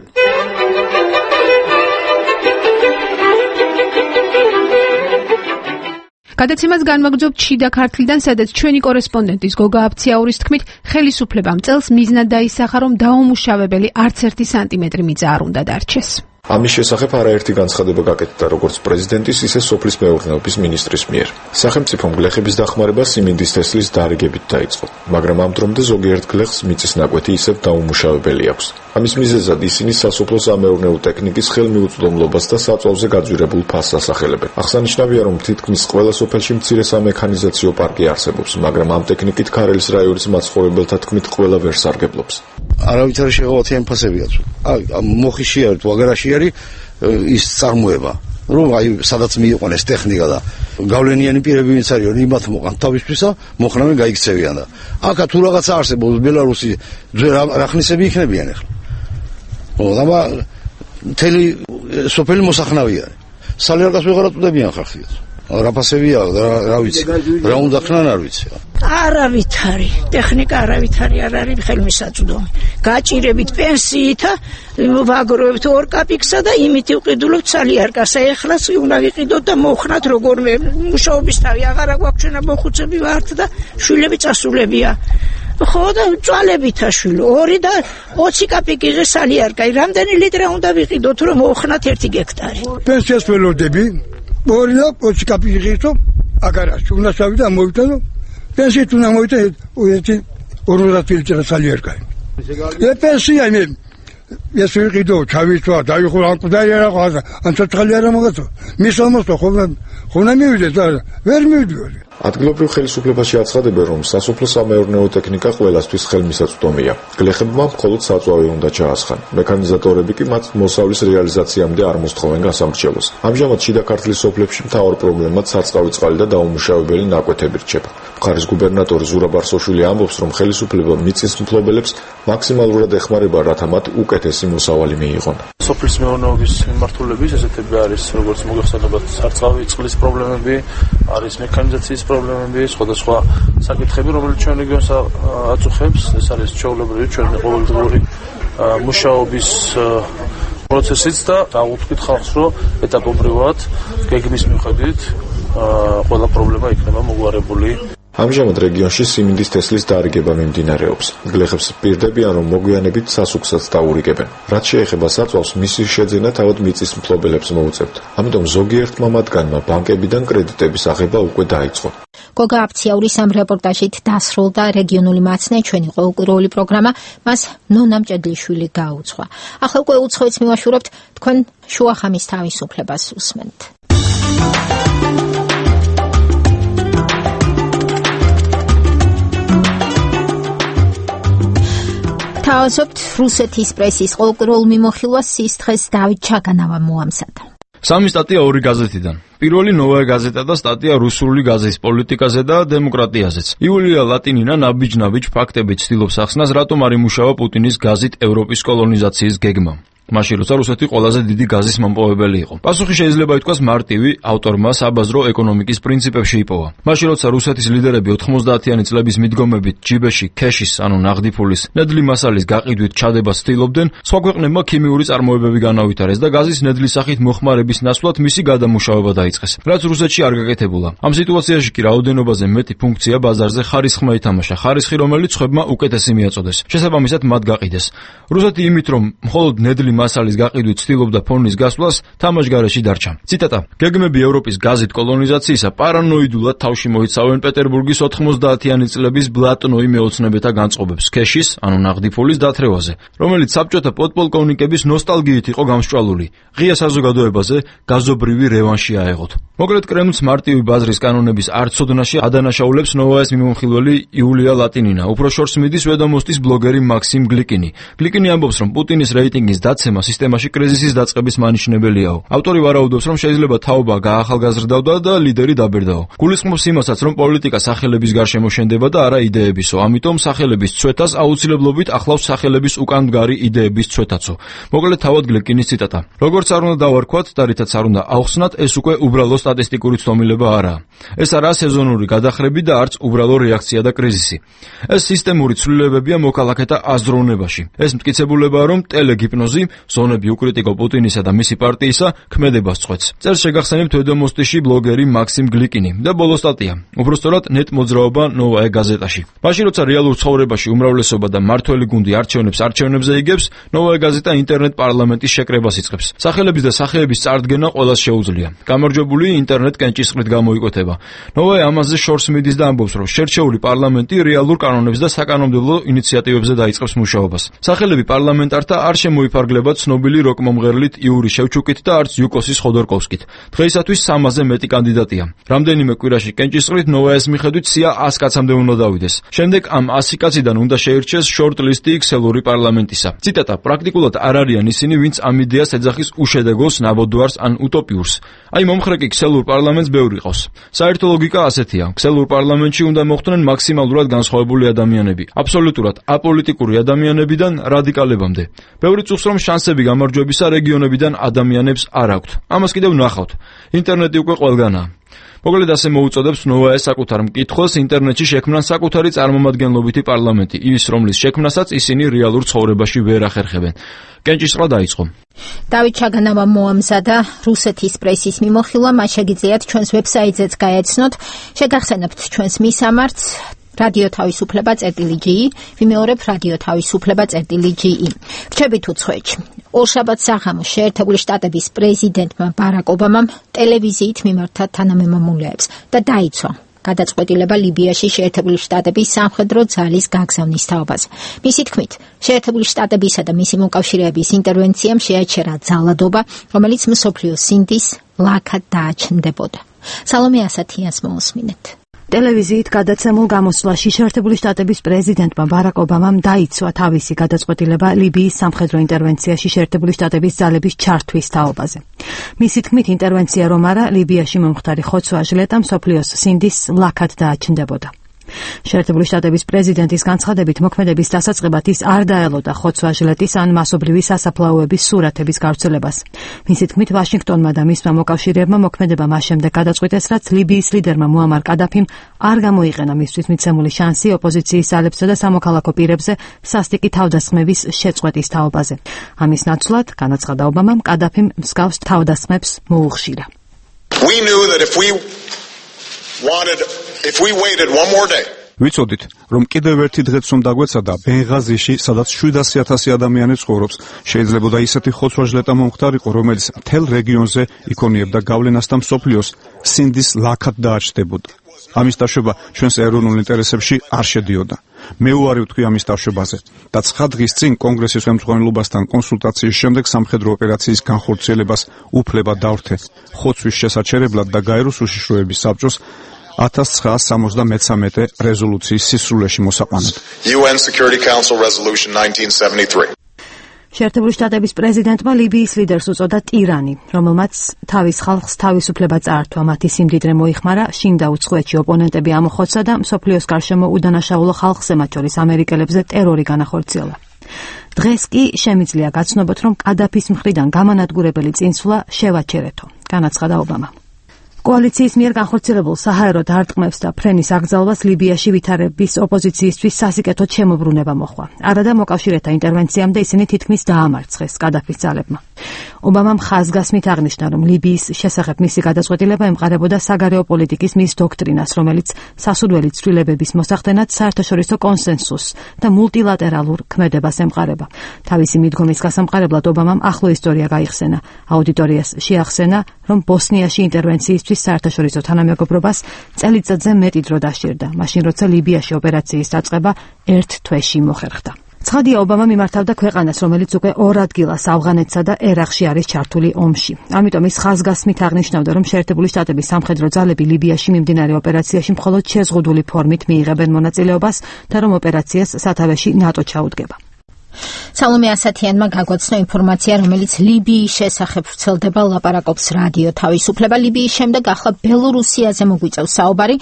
გადაცემას განვაგრძობთ შიდა ქართლიდან, სადაც ჩვენი კორესპონდენტის გოგა აფციაურის თქმით, ხელისუფლებამ წელს მიზნად დაისახა, რომ დაუმუშავებელი არც 1 სანტიმეტრი მიწა არ უნდა დარჩეს. ამის შესახებ არაერთი განცხადება გაკეთდა როგორც პრეზიდენტის, ისე სოფლის მეურნეობის მინისტრის მიერ. სახელმწიფომ გლეხების დახმარება სიმინდის თესლის დარიგებით დაიწყო, მაგრამ ამ დრომდე ზოგიერთ გლეხს მიწის ნაკვეთი ისევ დაუმუშავებელი აქვს. ამის მიზეზად ისინი სასოფლო-სამეურნეო ტექნიკის ხელმიუწვდომლობას და საწვავზე გაძვირებულ ფასს ასახელებენ. აღსანიშნავია, რომ თითქმის ყველა სოფელში მცირე სამექანიზაციო პარკი არსებობს, მაგრამ ამ ტექნიკით ქარელის რაიონის მაცხოვრებელთა თქმით ყველა ვერ სარგებლობს. არავითარი შეღავათიანი ფასები აქვს. მოხიში არის, ვაგარაში არის ის წარმოება, რომ სადაც მიიყვანეს ტექნიკა და გავლენიანი პირები ვინც არის, რომ იმათ მოყან თავისთვისა, მოხნავენ გაიქცევიან და აქა თუ რაღაცა არსებობს ბელარუსი რახნისები იქნებიან ახლა. აბა მთელი სოფელი მოსახნავი არის. სალერგას ვეღარ აწვდებიან ხალხს. რა ფასებია, რა ვიცი, რა უნდა ხნან არ ვიცი. არავითარი ტექნიკა არავითარი არ არის ხელმისაწვდომი. გაჭირებით პენსიით ვაგროვებთ 2 კაპიკსა და იმით ვყიდულობთ სალიერკას. ეხლაც უნდა ვიყიდოთ და მოხნათ როგორმე მუშაობის თავი აღარა გვაქვს ჩვენ მოხუცები ვართ და შვილები წასულებია. ხო და წვალებითა შვილო 2 და 20 კაპიკი სალიერკა. რამდენი ლიტრი უნდა ვიყიდოთ რომ მოხნათ 1 გექტარი. პენსიას ველოდები 2 და 20 კაპიკი ღირსო აგარაში უნდა შევიდა მოვიტანო პენსიით უნდა მოვიტანო 50 ლიტრი სალიერკა. პენსია მე ეს ვიყიდო ჩავიწვა დაიხო ან კუდარი არა ყავდა ან ცოცხალი არა მაგათო მისამოსო ხონა მივიდეთ და ვერ მივიდოდი. ადგილობრივ ხელისუფლებაში აცხადებენ, რომ სასოფლო-სამეურნეო ტექნიკა ყველასთვის ხელმისაწვდომია. გლეხებმა მხოლოდ საწვავი უნდა ჩაასხან. მექანიზატორები კი მათ მოსავლის რეალიზაციამდე არ მოსთხოვენ გასამრჩევლოს. ამჟამად შიდა ქართლის სოფლებში მთავარ პრობლემად სარწყავი წყალი და დაუმუშავებელი ნაკვეთები რჩება. მხარის გუბერნატორი ზურაბ არსოშვილი ამბობს, რომ ხელისუფლება მიწის მფლობელებს მაქსიმალურად ეხმარება, რათა მათ უკეთესი მოსავალი მიიღონ. სოფლის მეურნეობის მიმართულების ესეთები არის, როგორც მოგეხსენებათ, სარწყავი წყლის პრობლემები, არის მექანიზაციის პრობლემები, სხვადასხვა საკითხები, რომელიც ჩვენ რეგიონს აწუხებს. ეს არის ჩვეულებრივი ჩვენი ყოველდღიური მუშაობის პროცესიც და დავუთქვით ხალხს, რომ ეტაპობრივად გეგმის მიხედვით ყველა პრობლემა იქნება მოგვარებული. ამჟამად რეგიონში სიმინდის თესლის დარიგება მიმდინარეობს. გლეხებს პირდებიან, რომ მოგვიანებით სასუქსაც დაურიგებენ. რაც შეეხება საწვავს, მისი შეძენა თავად მიწის მფლობელებს მოუწევთ. ამიტომ ზოგიერთმა მათგანმა ბანკებიდან კრედიტების აღება უკვე დაიწყო. გოგა აფციაურის ამ რეპორტაჟით დასრულდა რეგიონული მაცნე, ჩვენი ყოველკვირეული პროგრამა, მას ნონა მჭედლიშვილი გაუძღვა. ახლა უკვე უცხოეთს მივაშურებთ, თქვენ შუახამის თავისუფლებას უსმენთ. თავაზობთ რუსეთის პრესის ყოველკვირეულ მიმოხილვას სისხლის დავით ჩაგანავა მოამზადა. სამი სტატია ორი გაზეთიდან. პირველი ნოვაია გაზეტა და სტატია რუსული გაზეთის პოლიტიკაზე და დემოკრატიაზეც. იულია ლატინინა ნაბიჯ-ნაბიჯ ფაქტებით ცდილობს ახსნას, რატომ არ იმუშავა პუტინის გაზით ევროპის კოლონიზაციის გეგმა. მაშინ როცა რუსეთი ყველაზე დიდი გაზის მომპოვებელი იყო. პასუხი შეიძლება ითქვას მარტივი, ავტორმა საბაზრო ეკონომიკის პრინციპებში იპოვა. მაშინ როცა რუსეთის ლიდერები 90-იანი წლების მიდგომებით ჯიბეში ქეშის, ანუ ნაღდი ფულის, ნედლი მასალის გაყიდვით ჩადებას ცდილობდნენ, სხვა ქვეყნებმა ქიმიური წარმოებები განავითარეს და გაზის ნედლის სახით მოხმარების ნაცვლად მისი გადამუშავება დაიწყეს, რაც რუსეთში არ გაკეთებულა. ამ სიტუაციაში კი რაოდენობაზე მეტი ფუნქცია ბაზარზე ხარისხმა ითამაშა, ხარისხი რომელიც ხვებმა უკეთესი მიაწოდეს. შესაბამისად მათ გაყიდეს. რუსეთი იმით რომ მხოლოდ ნედლი მასალის გაყიდვით ცდილობდა ფონის გასვლას, თამაშგარეში დარჩა. ციტატა: გეგმები ევროპის გაზით კოლონიზაციისა პარანოიდულად თავში მოიცავენ პეტერბურგის 90-იანი წლების ბლატნოი მეოცნებეთა განწყობებს ქეშის, ანუ ნაღდი ფულის დათრევაზე, რომელიც საბჭოთა პოდპოლკოვნიკების ნოსტალგიით იყო გამსჭვალული. ღია საზოგადოებაზე გაზობრივი რევანში აეღოთ. მოკლედ კრემლს მარტივი ბაზრის კანონების არცოდნაში ადანაშაულებს ნოვაიას მიმომხილველი იულია ლატინინა. უფრო შორს მიდის ვედომოსტის ბლოგერი მაქსიმ გლიკინი. გლიკინი ამბობს, რომ პუტინის რეიტინგის დაცემა სისტემაში კრიზისის დაწყების მანიშნებელიაო. ავტორი ვარაუდობს, რომ შეიძლება თაობა გაახალგაზრდავდა და ლიდერი დაბერდაო. გულისხმობს იმასაც, რომ პოლიტიკა სახელების გარშემო შენდება და არა იდეებისო. ამიტომ სახელების ცვეთას აუცილებლობით ახლავს სახელების უკან მდგარი იდეების ცვეთაცო. მოკლედ თავად გლიკინის ციტატა: როგორც არ უნდა დავარქვათ და რითაც არ უნდა ავხსნათ, ეს უკვე უბრალო სტატისტიკური ცდომილება არაა. ეს არაა სეზონური გადახრები და არც უბრალო რეაქცია და კრიზისი. ეს სისტემური ცვლილებებია მოქალაქეთა აზროვნებაში. ეს მტკიცებულებაა, რომ ტელეგიპნოზი ზონები უკრიტიკო პუტინისა და მისი პარტიისა ქმედებას წყვეტს. წერს შეგახსენებთ ვედომოსტიში ბლოგერი მაქსიმ გლიკინი და ბოლო სტატია. უბრალოდ ნეტ მოძრაობა ნოვაე გაზეტაში. მაშინ როცა რეალურ ცხოვრებაში უმრავლესობა და მართველი გუნდი არჩევნებზე იგებს, ნოვაე გაზეტა ინტერნეტ პარლამენტის შეკრებას იწყებს. სახელების და სახეების წარდგენა ყველას შეუძლია. გამარჯვებული ინტერნეტ კენჭისყრით გამოიკვეთება. ნოვაე ამაზე შორს მიდის და ამბობს, რომ შერჩეული პარლამენტი რეალურ კანონებს და საკანონმდებლო ინიციატივებზე დაიწყებს მუშაობას. სახელები პარლამენტართა არ შემოიფარგლება ცნობილი როკ მომღერლით იური შევჩუკით და არც იუკოსის ხოდორკოვსკით. დღეისათვის 300-ზე მეტი კანდიდატია. რამდენიმე კვირაში კენჭისყრით ნოვაეს მიხედვით სია 100 კაცამდე უნდა დავიდეს. შემდეგ ამ 100 კაციდან უნდა შეირჩეს შორტ-ლისტი ქსელური პარლამენტისა. ციტატა: პრაქტიკულად არ არიან ისინი, ვინც ამ იდეას ეძახის უშედეგოს, ნაბოდვარს ან უტოპიურს. აი მომხრეკი ქსელურ პარლამენტს ბევრი ყავს. საერთო ლოგიკა ასეთია: ქსელურ პარლამენტში უნდა მოხვდნენ მაქსიმალურად განსხვავებული ადამიანები, აბსოლუტურად აპოლიტიკური ადამიანებიდან რადიკალებამდე. ბევრი წუხს რომ შანსები გამარჯვებისა რეგიონებიდან ადამიანებს არ აქვთ. ამას კიდევ ნახავთ. ინტერნეტი უკვე ყველგანაა. მოკლედ ასე მოუწოდებს ნოვაეს საკუთარ მკითხველს ინტერნეტში შექმნან საკუთარი წარმომადგენლობითი პარლამენტი, ის რომლის შექმნასაც ისინი რეალურ ცხოვრებაში ვერ ახერხებენ. კენჭისყრა დაიწყო. დავით ჩაგანავა მოამზადა რუსეთის პრესის მიმოხილვა, მას შეგიძლიათ ჩვენს ვებსაიტზეც გაეცნოთ. შეგახსენებთ ჩვენს მისამართს რადიო თავისუფლება.gi, ვიმეორებ რადიო თავისუფლება.gi. რჩებით უცხოეთში. ორშაბათს საღამოს შეერთებული შტატების პრეზიდენტმა ბარაკ ობამამ ტელევიზიით მიმართა თანამემამულეებს და დაიცვა გადაწყვეტილება ლიბიაში შეერთებული შტატების სამხედრო ძალის გაგზავნის თაობაზე. მისი თქმით, შეერთებული შტატებისა და მისი მოკავშირეების ინტერვენციამ შეაჩერა ძალადობა, რომელიც მსოფლიოს სინდის ლაქად დააჩნდებოდა. სალომე ასათიანს მოусმინეთ. ტელევიზიით გადაცემულ გამოსვლაში შეერთებული შტატების პრეზიდენტმა ბარაკ ობამამ დაიცვა თავისი გადაწყვეტილება ლიბიის სამხედრო ინტერვენციაში შეერთებული შტატების ძალების ჩართვის თაობაზე. მისი თქმით, ინტერვენცია რომ არა, ლიბიაში მომხდარი ხოცვა-ჟლეტა მსოფლიოს სინდის ლაქად დააჩნდებოდა. შეერთებული შტატების პრეზიდენტის განცხადებით, მოქმედების დასაწყებად ის არ დაელოდა ხოცვა-ჟლეტის ან მასობრივი სასაფლაოების სურათების გავრცელებას. მისი თქმით, ვაშინგტონმა და მისმა მოკავშირეებმა მოქმედება მას შემდეგ გადაწყვიტეს, რაც ლიბიის ლიდერმა მუამარ კადაფიმ არ გამოიყენა მისთვის მიცემული შანსი ოპოზიციის ძალებსა და სამოქალაქო პირებზე სასტიკი თავდასხმების შეწყვეტის თაობაზე. ამის ნაცვლად, განაცხადა ობამამ, კადაფიმ მსგავს თავდასხმებს მოუხშირა. ვიცოდით, რომ კიდევ ერთი დღეც რომ დაგვეცადა ბენღაზიში, სადაც 700,000 ადამიანი ცხოვრობს, შეიძლებოდა ისეთი ხოცვა-ჟლეტა მომხდარიყო, რომელიც მთელ რეგიონზე იქონიებდა გავლენას და მსოფლიოს სინდის ლაქად დააჩნდებოდა. ამის დაშვება ჩვენს ეროვნულ ინტერესებში არ შედიოდა. მე უარი ვთქვი ამის დაშვებაზე და 9 დღის წინ კონგრესის ხელმძღვანელობასთან კონსულტაციის შემდეგ სამხედრო ოპერაციის განხორციელებას უფლება დავრთე ხოცვის შესაჩერებლად და გაეროს უშიშროების საბჭოს 1973 რეზოლუციის სისრულეში მოსაყვანად. UN Security Council Resolution 1973. შეერთებული შტატების პრეზიდენტმა ლიბიის ლიდერს უწოდა ტირანი, რომელმაც თავის ხალხს თავისუფლება წაართვა, მათი სიმდიდრე მოიხმარა, შინ და უცხოეთში ოპონენტები ამოხოცა და მსოფლიოს გარშემო უდანაშაულო ხალხზე, მათ შორის ამერიკელებზე ტერორი განახორციელა. დღეს კი შემიძლია გაცნობოთ, რომ კადაფის მხრიდან გამანადგურებელი წინსვლა შევაჩერეთო, განაცხადა ობამა. კოალიციის მიერ განხორციელებულ საჰაერო დარტყმებს და ფრენის აკრძალვას ლიბიაში ვითარების ოპოზიციისთვის სასიკეთოდ შემოbrunება მოხდა. არადა მოკავშირეთა ინტერვენციამდე ისინი თითქმის დაამარცხეს კადაფის ძალებმა. ობამამ ხაზგასმით აღნიშნა, რომ ლიბიის შესახებ მისი გადაწყვეტილება ემყარებოდა საგარეო პოლიტიკის მის დოქტრინას, რომელიც სასურველი ცვლილებების მოსახდენად საერთაშორისო კონსენსუსს და მულტილატერალურ ქმედებას ემყარება. თავისი მიდგომის გასამყარებლად ობამამ ახლო ისტორია გაიხსენა. აუდიტორიას შეახსენა, რომ ბოსნიაში ინტერვენციისთვის საერთაშორისო თანამეგობრობას წელიწადზე მეტი დრო დასჭირდა, მაშინ როცა ლიბიაში ოპერაციის დაწყება 1 თვეში მოხერხდა. ცხადია, ობამა მიმართავდა ქვეყანას, რომელიც უკვე 2 ადგილას ავღანეთსა და ერაყში არის ჩართული ომში. ამიტომ ის ხაზგასმით აღნიშნავდა, რომ შეერთებული შტატების სამხედრო ძალები ლიბიაში მიმდინარე ოპერაციაში მხოლოდ შეზღუდული ფორმით მიიღებენ მონაწილეობას და რომ ოპერაციას სათავეში ნატო ჩაუდგება. სალომე ასათიანმა გაგვაცნო ინფორმაცია, რომელიც ლიბიის შესახებ ვრცელდება, ლაპარაკობს რადიო თავისუფლება. ლიბიის შემდეგ ახლა ბელორუსიაზე მოგვიწევს საუბარი.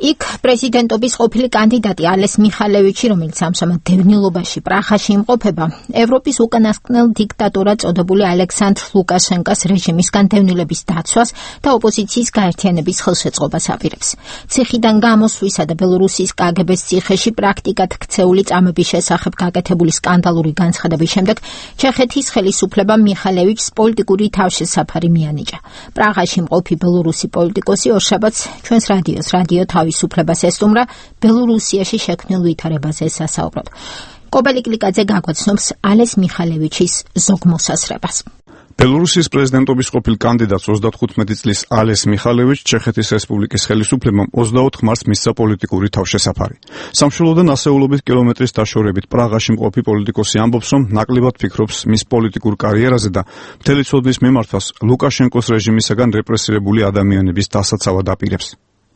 იქ პრეზიდენტობის ყოფილი კანდიდატი ალეს მიხალევიჩი, რომელიც ამჟამად დევნილობაში პრაღაში იმყოფება, ევროპის უკანასკნელ დიქტატორად წოდებული ალექსანდრ ლუკაშენკოს რეჟიმისგან დევნილების დაცვას და ოპოზიციის გაერთიანების ხელშეწყობას აპირებს. ციხიდან გამოსვლისა და ბელორუსიის კგბ-ს ციხეში პრაქტიკად ქცეული წამების შესახებ გაკეთებული სკანდალური განცხადების შემდეგ ჩეხეთის ხელისუფლებამ მიხალევიჩს პოლიტიკური თავშესაფარი მიანიჭა. პრაღაში მყოფი ბელორუსი პოლიტიკოსი ორშაბათს ჩვენს რადიო თავისუფლებას ესტუმრა ბელორუსიაში შექმნილ ვითარებაზე სასაუბრად. კობელი კლიკაძე გაგვაცნობს ალეს მიხალევიჩის ზოგმოსასრებას. ბელორუსიის პრეზიდენტობის ყოფილ კანდიდატს 35 წლის ალეს მიხალევიჩს ჩეხეთის რესპუბლიკის ხელისუფლებამ 24 მარტს მისცა პოლიტიკური თავშესაფარი. სამშობლოდან ასეულობით კილომეტრის დაშორებით პრაღაში მყოფი პოლიტიკოსი ამბობს, რომ ნაკლებად ფიქრობს მის პოლიტიკურ კარიერაზე და მთელი ცოდნის მიმართვას ლუკაშენკოს რეჟიმისაგან რეპრესირებული ადამიანების დასაცავად აპირებს.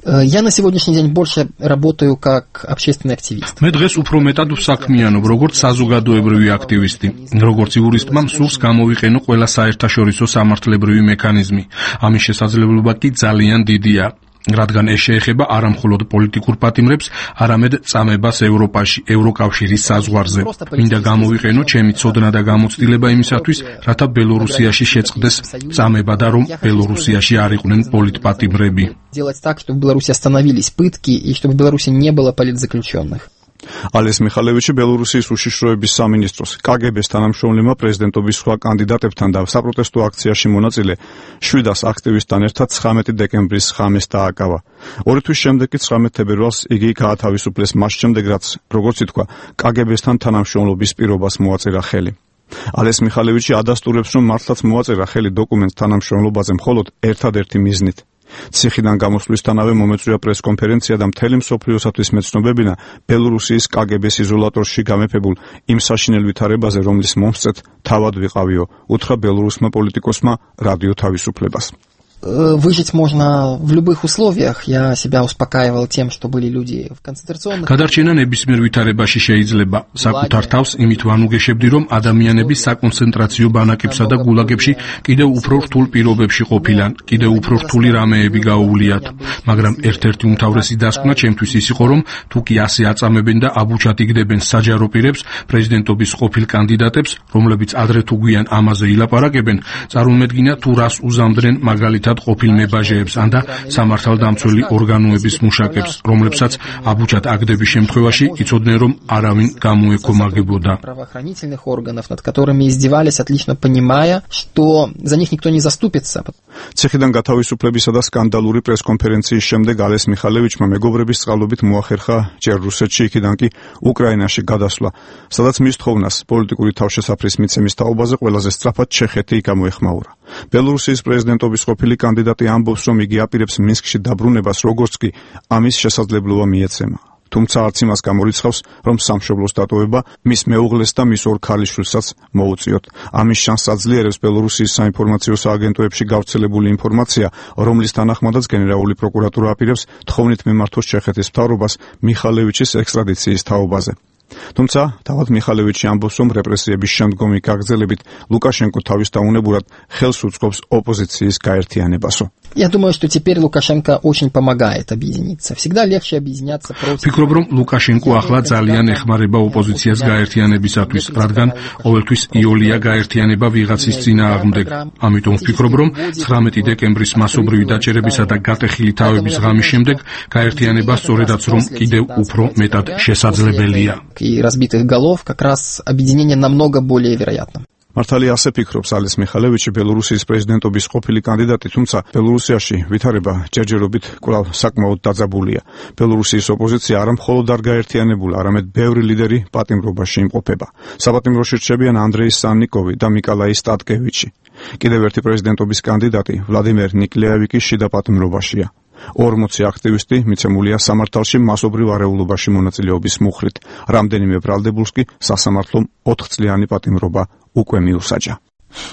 Я на сегодняшний день больше работаю как общественный активист. მე დღეს უფრო მეტად ვსაქმიანობ, როგორც საზოგადოებრივი აქტივისტი. როგორც იურისტმა მსურს გამოვიყენო ყველა საერთაშორისო სამართლებრივი მექანიზმი. ამის შესაძლებლობა კი ძალიან დიდია. რადგან ეს შეეხება არა მხოლოდ პოლიტიკურ პატიმრებს, არამედ წამებას ევროპაში, ევროკავშირის საზღვარზე. მინდა გამოვიყენო ჩემი ცოდნა და გამოცდილება იმისათვის, რათა ბელორუსიაში შეწყდეს წამება და რომ ბელორუსიაში არ იყვნენ პოლიტპატიმრები. Делать так, чтобы в Беларуси остановились пытки и чтобы в Беларуси не было политзаключенных. ალეს მიხალევიჩი ბელორუსიის უშიშროების სამინისტროს კგბ-ს თანამშრომლებმა პრეზიდენტობის სხვა კანდიდატებთან და საპროტესტო აქციაში მონაწილე 700 აქტივისტთან ერთად 19 დეკემბრის ღამეს დააკავა. 2 თვის შემდეგ კი 19 თებერვალს იგი გაათავისუფლეს მას შემდეგ, რაც, როგორც ითქვა, კგბ-სთან თანამშრომლობის პირობას მოაწერა ხელი. ალეს მიხალევიჩი ადასტურებს, რომ მართლაც მოაწერა ხელი დოკუმენტს თანამშრომლობაზე მხოლოდ ერთადერთი მიზნით. ციხიდან გამოსვლისთანავე მომეწვია პრესკონფერენცია და მთელი მსოფლიოსათვის მეცნობებინა ბელორუსიის კგბ-ს იზოლატორში გამეფებულ იმ საშინელ ვითარებაზე, რომლის მომსწრეთ თავად ვიყავიო, უთხრა ბელორუსმა პოლიტიკოსმა რადიო თავისუფლებას. Выжить можно в любых условиях. Я себя успокаивал тем, что были люди в концентрационных. გადარჩენა ნებისმიერ ვითარებაში შეიძლება. საკუთარ თავს იმით ვანუგეშებდი, რომ ადამიანები საკონცენტრაციო ბანაკებსა და გულაგებში კიდევ უფრო რთულ პირობებში ყოფილან, კიდევ უფრო რთული რამეები გაუვლიათ. მაგრამ ერთ-ერთი უმთავრესი დასკვნა ჩემთვის ის იყო, რომ თუ კი ასე აწამებენ და აბუჩად იგდებენ საჯარო პირებს, პრეზიდენტობის ყოფილ კანდიდატებს, რომლებიც ადრე თუ გვიან ამაზე ილაპარაკებენ, წარმოუდგინა თუ რას უზამდნენ მაგალითად ყოფილ მებაჟეებს ან და სამართალდამცველი ორგანოების მუშაკებს, რომლებსაც აბუჩად აგდების შემთხვევაში იცოდნენ, რომ არავინ გამოეკომაგებოდა. Правоохранительных органов, над которыми издевались, отлично понимая, что за них никто не заступится. ციხიდან გათავისუფლებისა და სკანდალური პრესკონფერენციის შემდეგ ალეს მიხალევიჩმა მეგობრების წყალობით მოახერხა ჯერ რუსეთში, იქიდან კი უკრაინაში გადასვლა, სადაც მის თხოვნას პოლიტიკური თავშესაფრის მიცემის თაობაზე ყველაზე სწრაფად ჩეხეთი გამოეხმაურა. ბელორუსიის პრეზიდენტობის ყოფილი კანდიდატი ამბობს, რომ იგი აპირებს მინსკში დაბრუნებას, როგორც კი ამის შესაძლებლობა მიეცემა. თუმცა არც იმას გამორიცხავს, რომ სამშობლოს დატოვება მის მეუღლეს და მის 2 ქალიშვილსაც მოუწიოთ. ამის შანსს აძლიერებს ბელორუსიის საინფორმაციო სააგენტოებში გავრცელებული ინფორმაცია, რომლის თანახმადაც გენერალური პროკურატურა აპირებს თხოვნით მიმართოს ჩეხეთის მთავრობას მიხალევიჩის ექსტრადიციის თაობაზე. თუმცა თავად მიხალევიჩი ამბობს, რომ რეპრესიების შემდგომი გაგრძელებით ლუკაშენკო თავის დაუნებურად ხელს უწყობს ოპოზიციის გაერთიანებასო. Я думаю, что теперь Лукашенко очень помогает объединиться. Всегда легче объединяться против. Фიქრობ, რომ ლუკაშენკო ახლა ძალიან ეხმარება ოპოზიციას გაერთიანებისათვის, რადგან ყოველთვის იოლია გაერთიანება ვიღაცის წინააღმდეგ. ამიტომ ვფიქრობ, რომ 19 დეკემბრის მასობრივი დაჭერებისა და გატეხილი თავების ღამის შემდეგ გაერთიანება სწორედაც რომ კიდევ უფრო მეტად შესაძლებელია. И разбитых голов как раз объединение намного более вероятно. მართალია ასე ფიქრობს ალეს მიხალევიჩი, ბელორუსიის პრეზიდენტობის ყოფილი კანდიდატი, თუმცა ბელორუსიაში ვითარება ჯერჯერობით კვლავ საკმაოდ დაძაბულია. ბელორუსიის ოპოზიცია არა მხოლოდ არ გაერთიანებულა, არამედ ბევრი ლიდერი პატიმრობაში იმყოფება. საპატიმროში რჩებიან ანდრეი სანნიკოვი და მიკოლაი სტატკევიჩი. კიდევ ერთი პრეზიდენტობის კანდიდატი ვლადიმერ ნიკლეევი კი შიდა პატიმრობაშია. 40 აქტივისტი მიცემულია სამართალში მასობრივ არეულობაში მონაწილეობის მუხრით. რამდენიმე ბრალდებულს კი სასამართლომ 4 წლიანი პატიმრობა უკვე მიუსაჯა.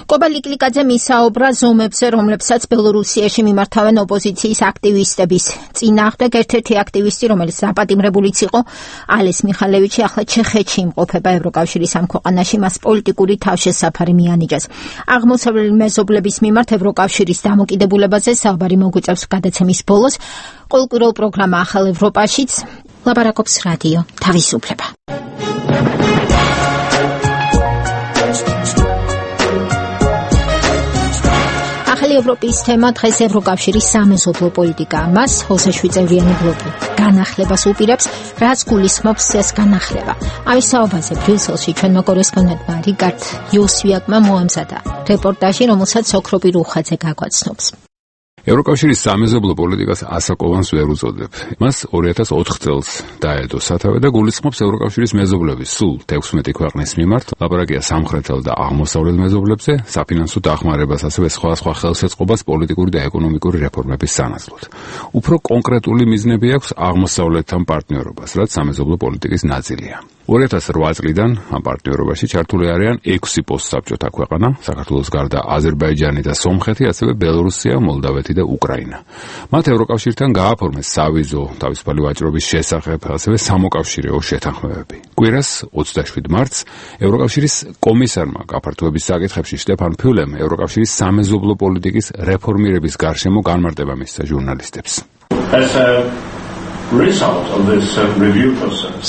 კობა ლიკლიკაძე მისაუბრა ზომებზე, რომლებსაც ბელორუსიაში მიმართავენ ოპოზიციის აქტივისტების წინააღმდეგ. ერთ-ერთი აქტივისტი, რომელიც დაპატიმრებულიც იყო, ალეს მიხალევიჩი, ახლა ჩეხეთში იმყოფება ევროკავშირის ამ ქვეყანაში, მას პოლიტიკური თავშესაფარი მიანიჭეს. აღმოსავლელი მეზობლების მიმართ ევროკავშირის დამოკიდებულებაზე საუბარი მოგვიწევს გადაცემის ბოლოს. ყოველკვირეულ პროგრამა ახალ ევროპაშიც ლაპარაკობს რადიო თავისუფლება. ევროპის თემა დღეს ევროკავშირის სამეზობლო პოლიტიკა. მას 27-წევრიანი ბლოკი განახლებას უპირებს, რაც გულისხმობს ეს განახლება. ამის საუბარზე ბრიუსელში ჩვენმა კორესპონდენტმა რიკარდ იოსვიაკმა მოამზადა რეპორტაჟი, რომელსაც ოქროპი რუხაძე გაგვაცნობს. ევროკავშირის სამეზობლო პოლიტიკას ასაკოვანს ვერ უწოდებ. მას 2004 წელს დაედო სათავე და გულისხმობს ევროკავშირის მეზობლების სულ 16 ქვეყნის მიმართ. ლაპარაკია სამხრეთელ და აღმოსავლეთ მეზობლებზე, საფინანსო დახმარებას, ასევე სხვა ხელშეწყობას პოლიტიკური და ეკონომიკური რეფორმების სანაცვლოდ. უფრო კონკრეტული მიზნები აქვს აღმოსავლეთთან პარტნიორობას, რაც სამეზობლო პოლიტიკის ნაწილია. 2008 წლიდან ამ პარტნიორობაში ჩართული არიან 6 პოსტსაბჭოთა ქვეყანა, საქართველოს გარდა აზერბაიჯანი და სომხეთი, ასევე ბელორუსია, მოლდავეთი და უკრაინა. მათ ევროკავშირთან გააფორმეს სავიზო თავისუფალი ვაჭრობის შესახებ, ასევე სამოკავშირეო შეთანხმებები. კვირას 27 მარტს ევროკავშირის კომისარმა გაფართოების საკითხებში შტეფან ფიულემ ევროკავშირის სამეზობლო პოლიტიკის რეფორმირების გარშემო განმარტება მისცა ჟურნალისტებს.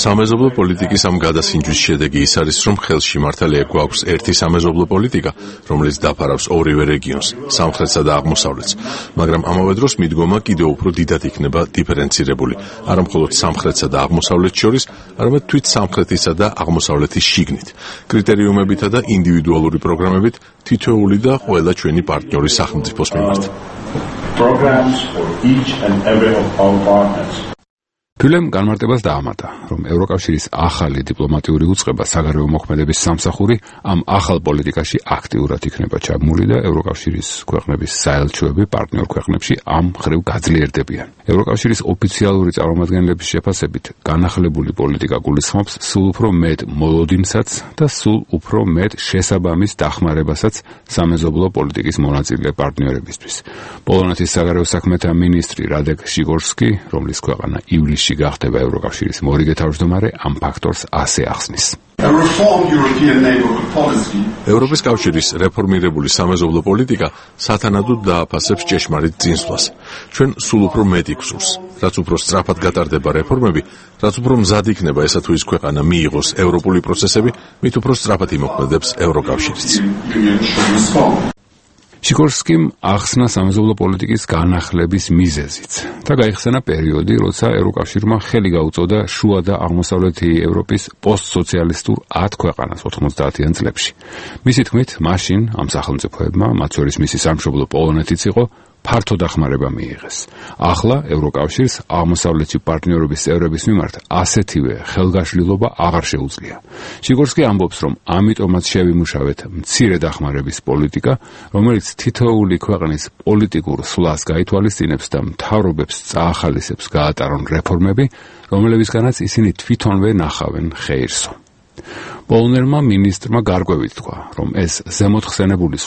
სამეზობლო პოლიტიკის ამ გადასინჯვის შედეგი ის არის, რომ ხელში მართალია გვაქვს ერთი სამეზობლო პოლიტიკა, რომელიც დაფარავს ორივე რეგიონს, სამხრეთსა და აღმოსავლეთს, მაგრამ ამავე დროს მიდგომა კიდევ უფრო დიდად იქნება დიფერენცირებული, არა მხოლოდ სამხრეთსა და აღმოსავლეთს შორის, არამედ თვით სამხრეთისა და აღმოსავლეთის შიგნით, კრიტერიუმებითა და ინდივიდუალური პროგრამებით თითოეული და ყველა ჩვენი პარტნიორის სახელმწიფოს მიმართ. ფიულემ განმარტებას დაამატა, რომ ევროკავშირის ახალი დიპლომატიური უწყება საგარეო მოქმედების სამსახური ამ ახალ პოლიტიკაში აქტიურად იქნება ჩაბმული და ევროკავშირის ქვეყნების საელჩოები პარტნიორ ქვეყნებში ამ მხრივ გაძლიერდებიან. ევროკავშირის ოფიციალური წარმომადგენლების შეფასებით, განახლებული პოლიტიკა გულისხმობს სულ უფრო მეტ მოლოდინსაც და სულ უფრო მეტ შესაბამის დახმარებასაც სამეზობლო პოლიტიკის მონაწილე პარტნიორებისთვის. პოლონეთის საგარეო საქმეთა მინისტრი რადეკ შიგორსკი, რომლის ქვეყანა ივლისში გახდება ევროკავშირის მორიგე თავმჯდომარე, ამ ფაქტორს ასე ახსნის. ევროპის კავშირის რეფორმირებული სამეზობლო პოლიტიკა სათანადოდ დააფასებს ჭეშმარიტ წინსვლას. ჩვენ სულ უფრო მეტი გვსურს. რაც უფრო სწრაფად გატარდება რეფორმები, რაც უფრო მზად იქნება ესა თუ ის ქვეყანა მიიღოს ევროპული პროცესები, მით უფრო სწრაფად იმოქმედებს ევროკავშირიც. შიკორსკიმ ახსნა სამეზობლო პოლიტიკის განახლების მიზეზიც და გაიხსენა პერიოდი, როცა ევროკავშირმა ხელი გაუწოდა შუა და აღმოსავლეთი ევროპის პოსტსოციალისტურ 10 ქვეყანას 90-იან წლებში. მისი თქმით, მაშინ ამ სახელმწიფოებმა, მათ შორის მისი სამშობლო პოლონეთიც იყო, ფართო დახმარება მიიღეს. ახლა ევროკავშირს აღმოსავლეთში პარტნიორობის წევრების მიმართ ასეთივე ხელგაშლილობა აღარ შეუძლია. შიგორსკი ამბობს, რომ ამიტომაც შევიმუშავეთ მცირე დახმარების პოლიტიკა, რომელიც თითოეული ქვეყნის პოლიტიკურ სვლას გაითვალისწინებს და მთავრობებს წაახალისებს გაატარონ რეფორმები, რომლებისგანაც ისინი თვითონვე ნახავენ ხეირსო. პოლონელმა მინისტრმა გარკვევით თქვა, რომ ეს ზემოთხსენებული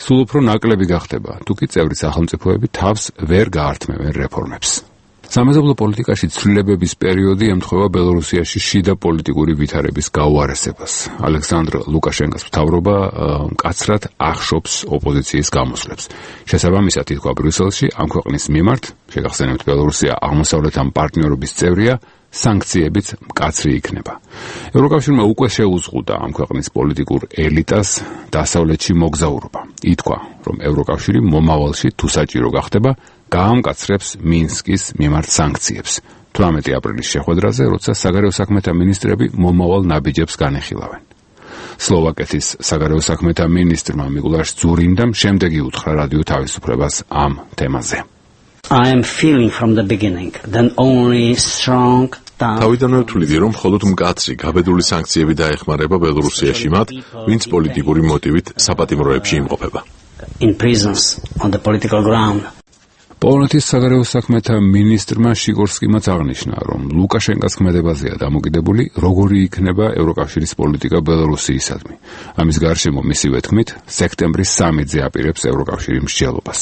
სულ უფრო ნაკლები გახდება, თუ კი წევრი სახელმწიფოები თავს ვერ გაართმევენ რეფორმებს. სამეზობლო პოლიტიკაში ცვლილებების პერიოდი ემთხვევა ბელორუსიაში შიდა პოლიტიკური ვითარების გაუარესებას. ალექსანდრ ლუკაშენკოს მთავრობა მკაცრად ახშობს ოპოზიციის გამოსვლებს. შესაბამისად, ითქვა ბრიუსელში, ამ ქვეყნის მიმართ, შეგახსენებთ, ბელორუსია აღმოსავლეთთან პარტნიორობის წევრია, სანქციებიც მკაცრი იქნება. ევროკავშირმა უკვე შეუზღუდა ამ ქვეყნის პოლიტიკურ ელიტას დასავლეთში მოგზაურობა. ითქვა, რომ ევროკავშირი მომავალში თუ საჭირო გახდება, გაამკაცრებს მინსკის მიმართ სანქციებს. 18 აპრილის შეხვედრაზე, როცა საგარეო საქმეთა მინისტრები მომავალ ნაბიჯებს განეხილავენ. სლოვაკეთის საგარეო საქმეთა მინისტრმა მიკულაშ ძურინდამ შემდეგი უთხრა რადიო თავისუფლებას ამ თემაზე. I am feeling from the beginning that only strong თავიდანვე ვთვლიდი, რომ მხოლოდ მკაცრი გაბედული სანქციები დაეხმარება ბელორუსიაში მათ, ვინც პოლიტიკური მოტივით საპატიმროებში იმყოფება. in prisons on the political ground. პოლონეთის საგარეო საქმეთა მინისტრმა შიკორსკიმაც აღნიშნა, რომ ლუკაშენკას ქმედებაზეა დამოკიდებული, როგორი იქნება ევროკავშირის პოლიტიკა ბელორუსიისადმი. ამის გარშემო მისივე თქმით, სექტემბრის სამიტზე აპირებს ევროკავშირი მსჯელობას.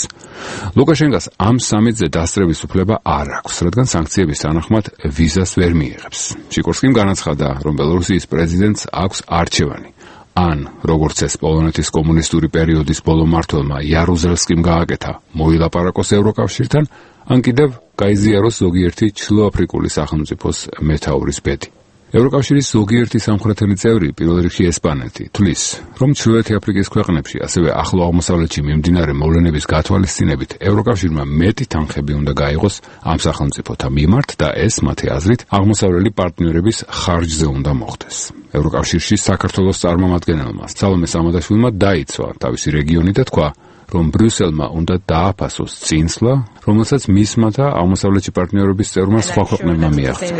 ლუკაშენკას ამ სამიტზე დასწრების უფლება არ აქვს, რადგან სანქციების თანახმად ვიზას ვერ მიიღებს. შიკორსკიმ განაცხადა, რომ ბელორუსიის პრეზიდენტს აქვს არჩევანი. ან, როგორც ეს პოლონეთის კომუნისტური პერიოდის ბოლო მმართველმა იარუზელსკიმ გააკეთა, მოილაპარაკოს ევროკავშირთან, ან კიდევ გაიზიაროს ზოგიერთი ჩრდილოაფრიკული სახელმწიფოს მეთაურის ბედი. ევროკავშირის ზოგიერთი სამხრეთელი წევრი, პირველ რიგში ესპანეთი, თვლის, რომ ჩრდილოეთი აფრიკის ქვეყნებში, ასევე ახლო აღმოსავლეთში მიმდინარე მოვლენების გათვალისწინებით, ევროკავშირმა მეტი თანხები უნდა გაიღოს ამ სახელმწიფოთა მიმართ და ეს, მათი აზრით, აღმოსავლელი პარტნიორების ხარჯზე უნდა მოხდეს. ევროკავშირში საქართველოს წარმომადგენელმა სალომე სამადაშვილმა დაიცვა თავისი რეგიონი და თქვა, რომ ბრიუსელმა უნდა დააფასოს წინსვლა, რომელსაც მისმა და აღმოსავლეთი პარტნიორების წევრმა სხვა ქვეყნებმა მიაღწიეს.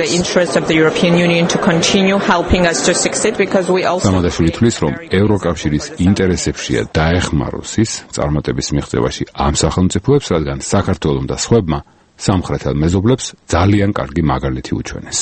სამადაშვილი თვლის, რომ ევროკავშირის ინტერესებშია დაეხმაროს ის წარმატების მიღწევაში ამ სახელმწიფოებს, რადგან საქართველომ და სხვებმა სამხრეთელ მეზობლებს ძალიან კარგი მაგალითი უჩვენეს.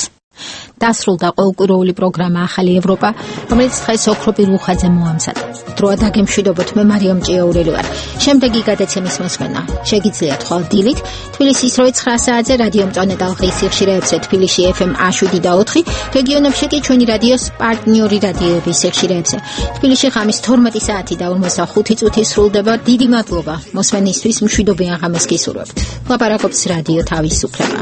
დასრულდა ყოველკვირეული პროგრამა ახალი ევროპა, რომელიც დღეს ოქროპირ უხაძე მოამზადა. დროა დაგემშვიდობოთ, მე მარიამ ჭიაურელი ვარ. შემდეგი გადაცემის მოსმენა შეგიძლიათ ხვალ დილით თბილისის 9 საათზე რადიო მწვანე ტალღის სიხშირეებზე თბილისში FM 7 და 4, რეგიონებში კი ჩვენი რადიოს პარტნიორი რადიოების სიხშირეებზე. თბილისში ღამის 12 საათი და 45 წუთი სრულდება. დიდი მადლობა მოსმენისთვის, მშვიდობიან ღამეს გისურვებთ. ლაპარაკობს რადიო თავისუფლება.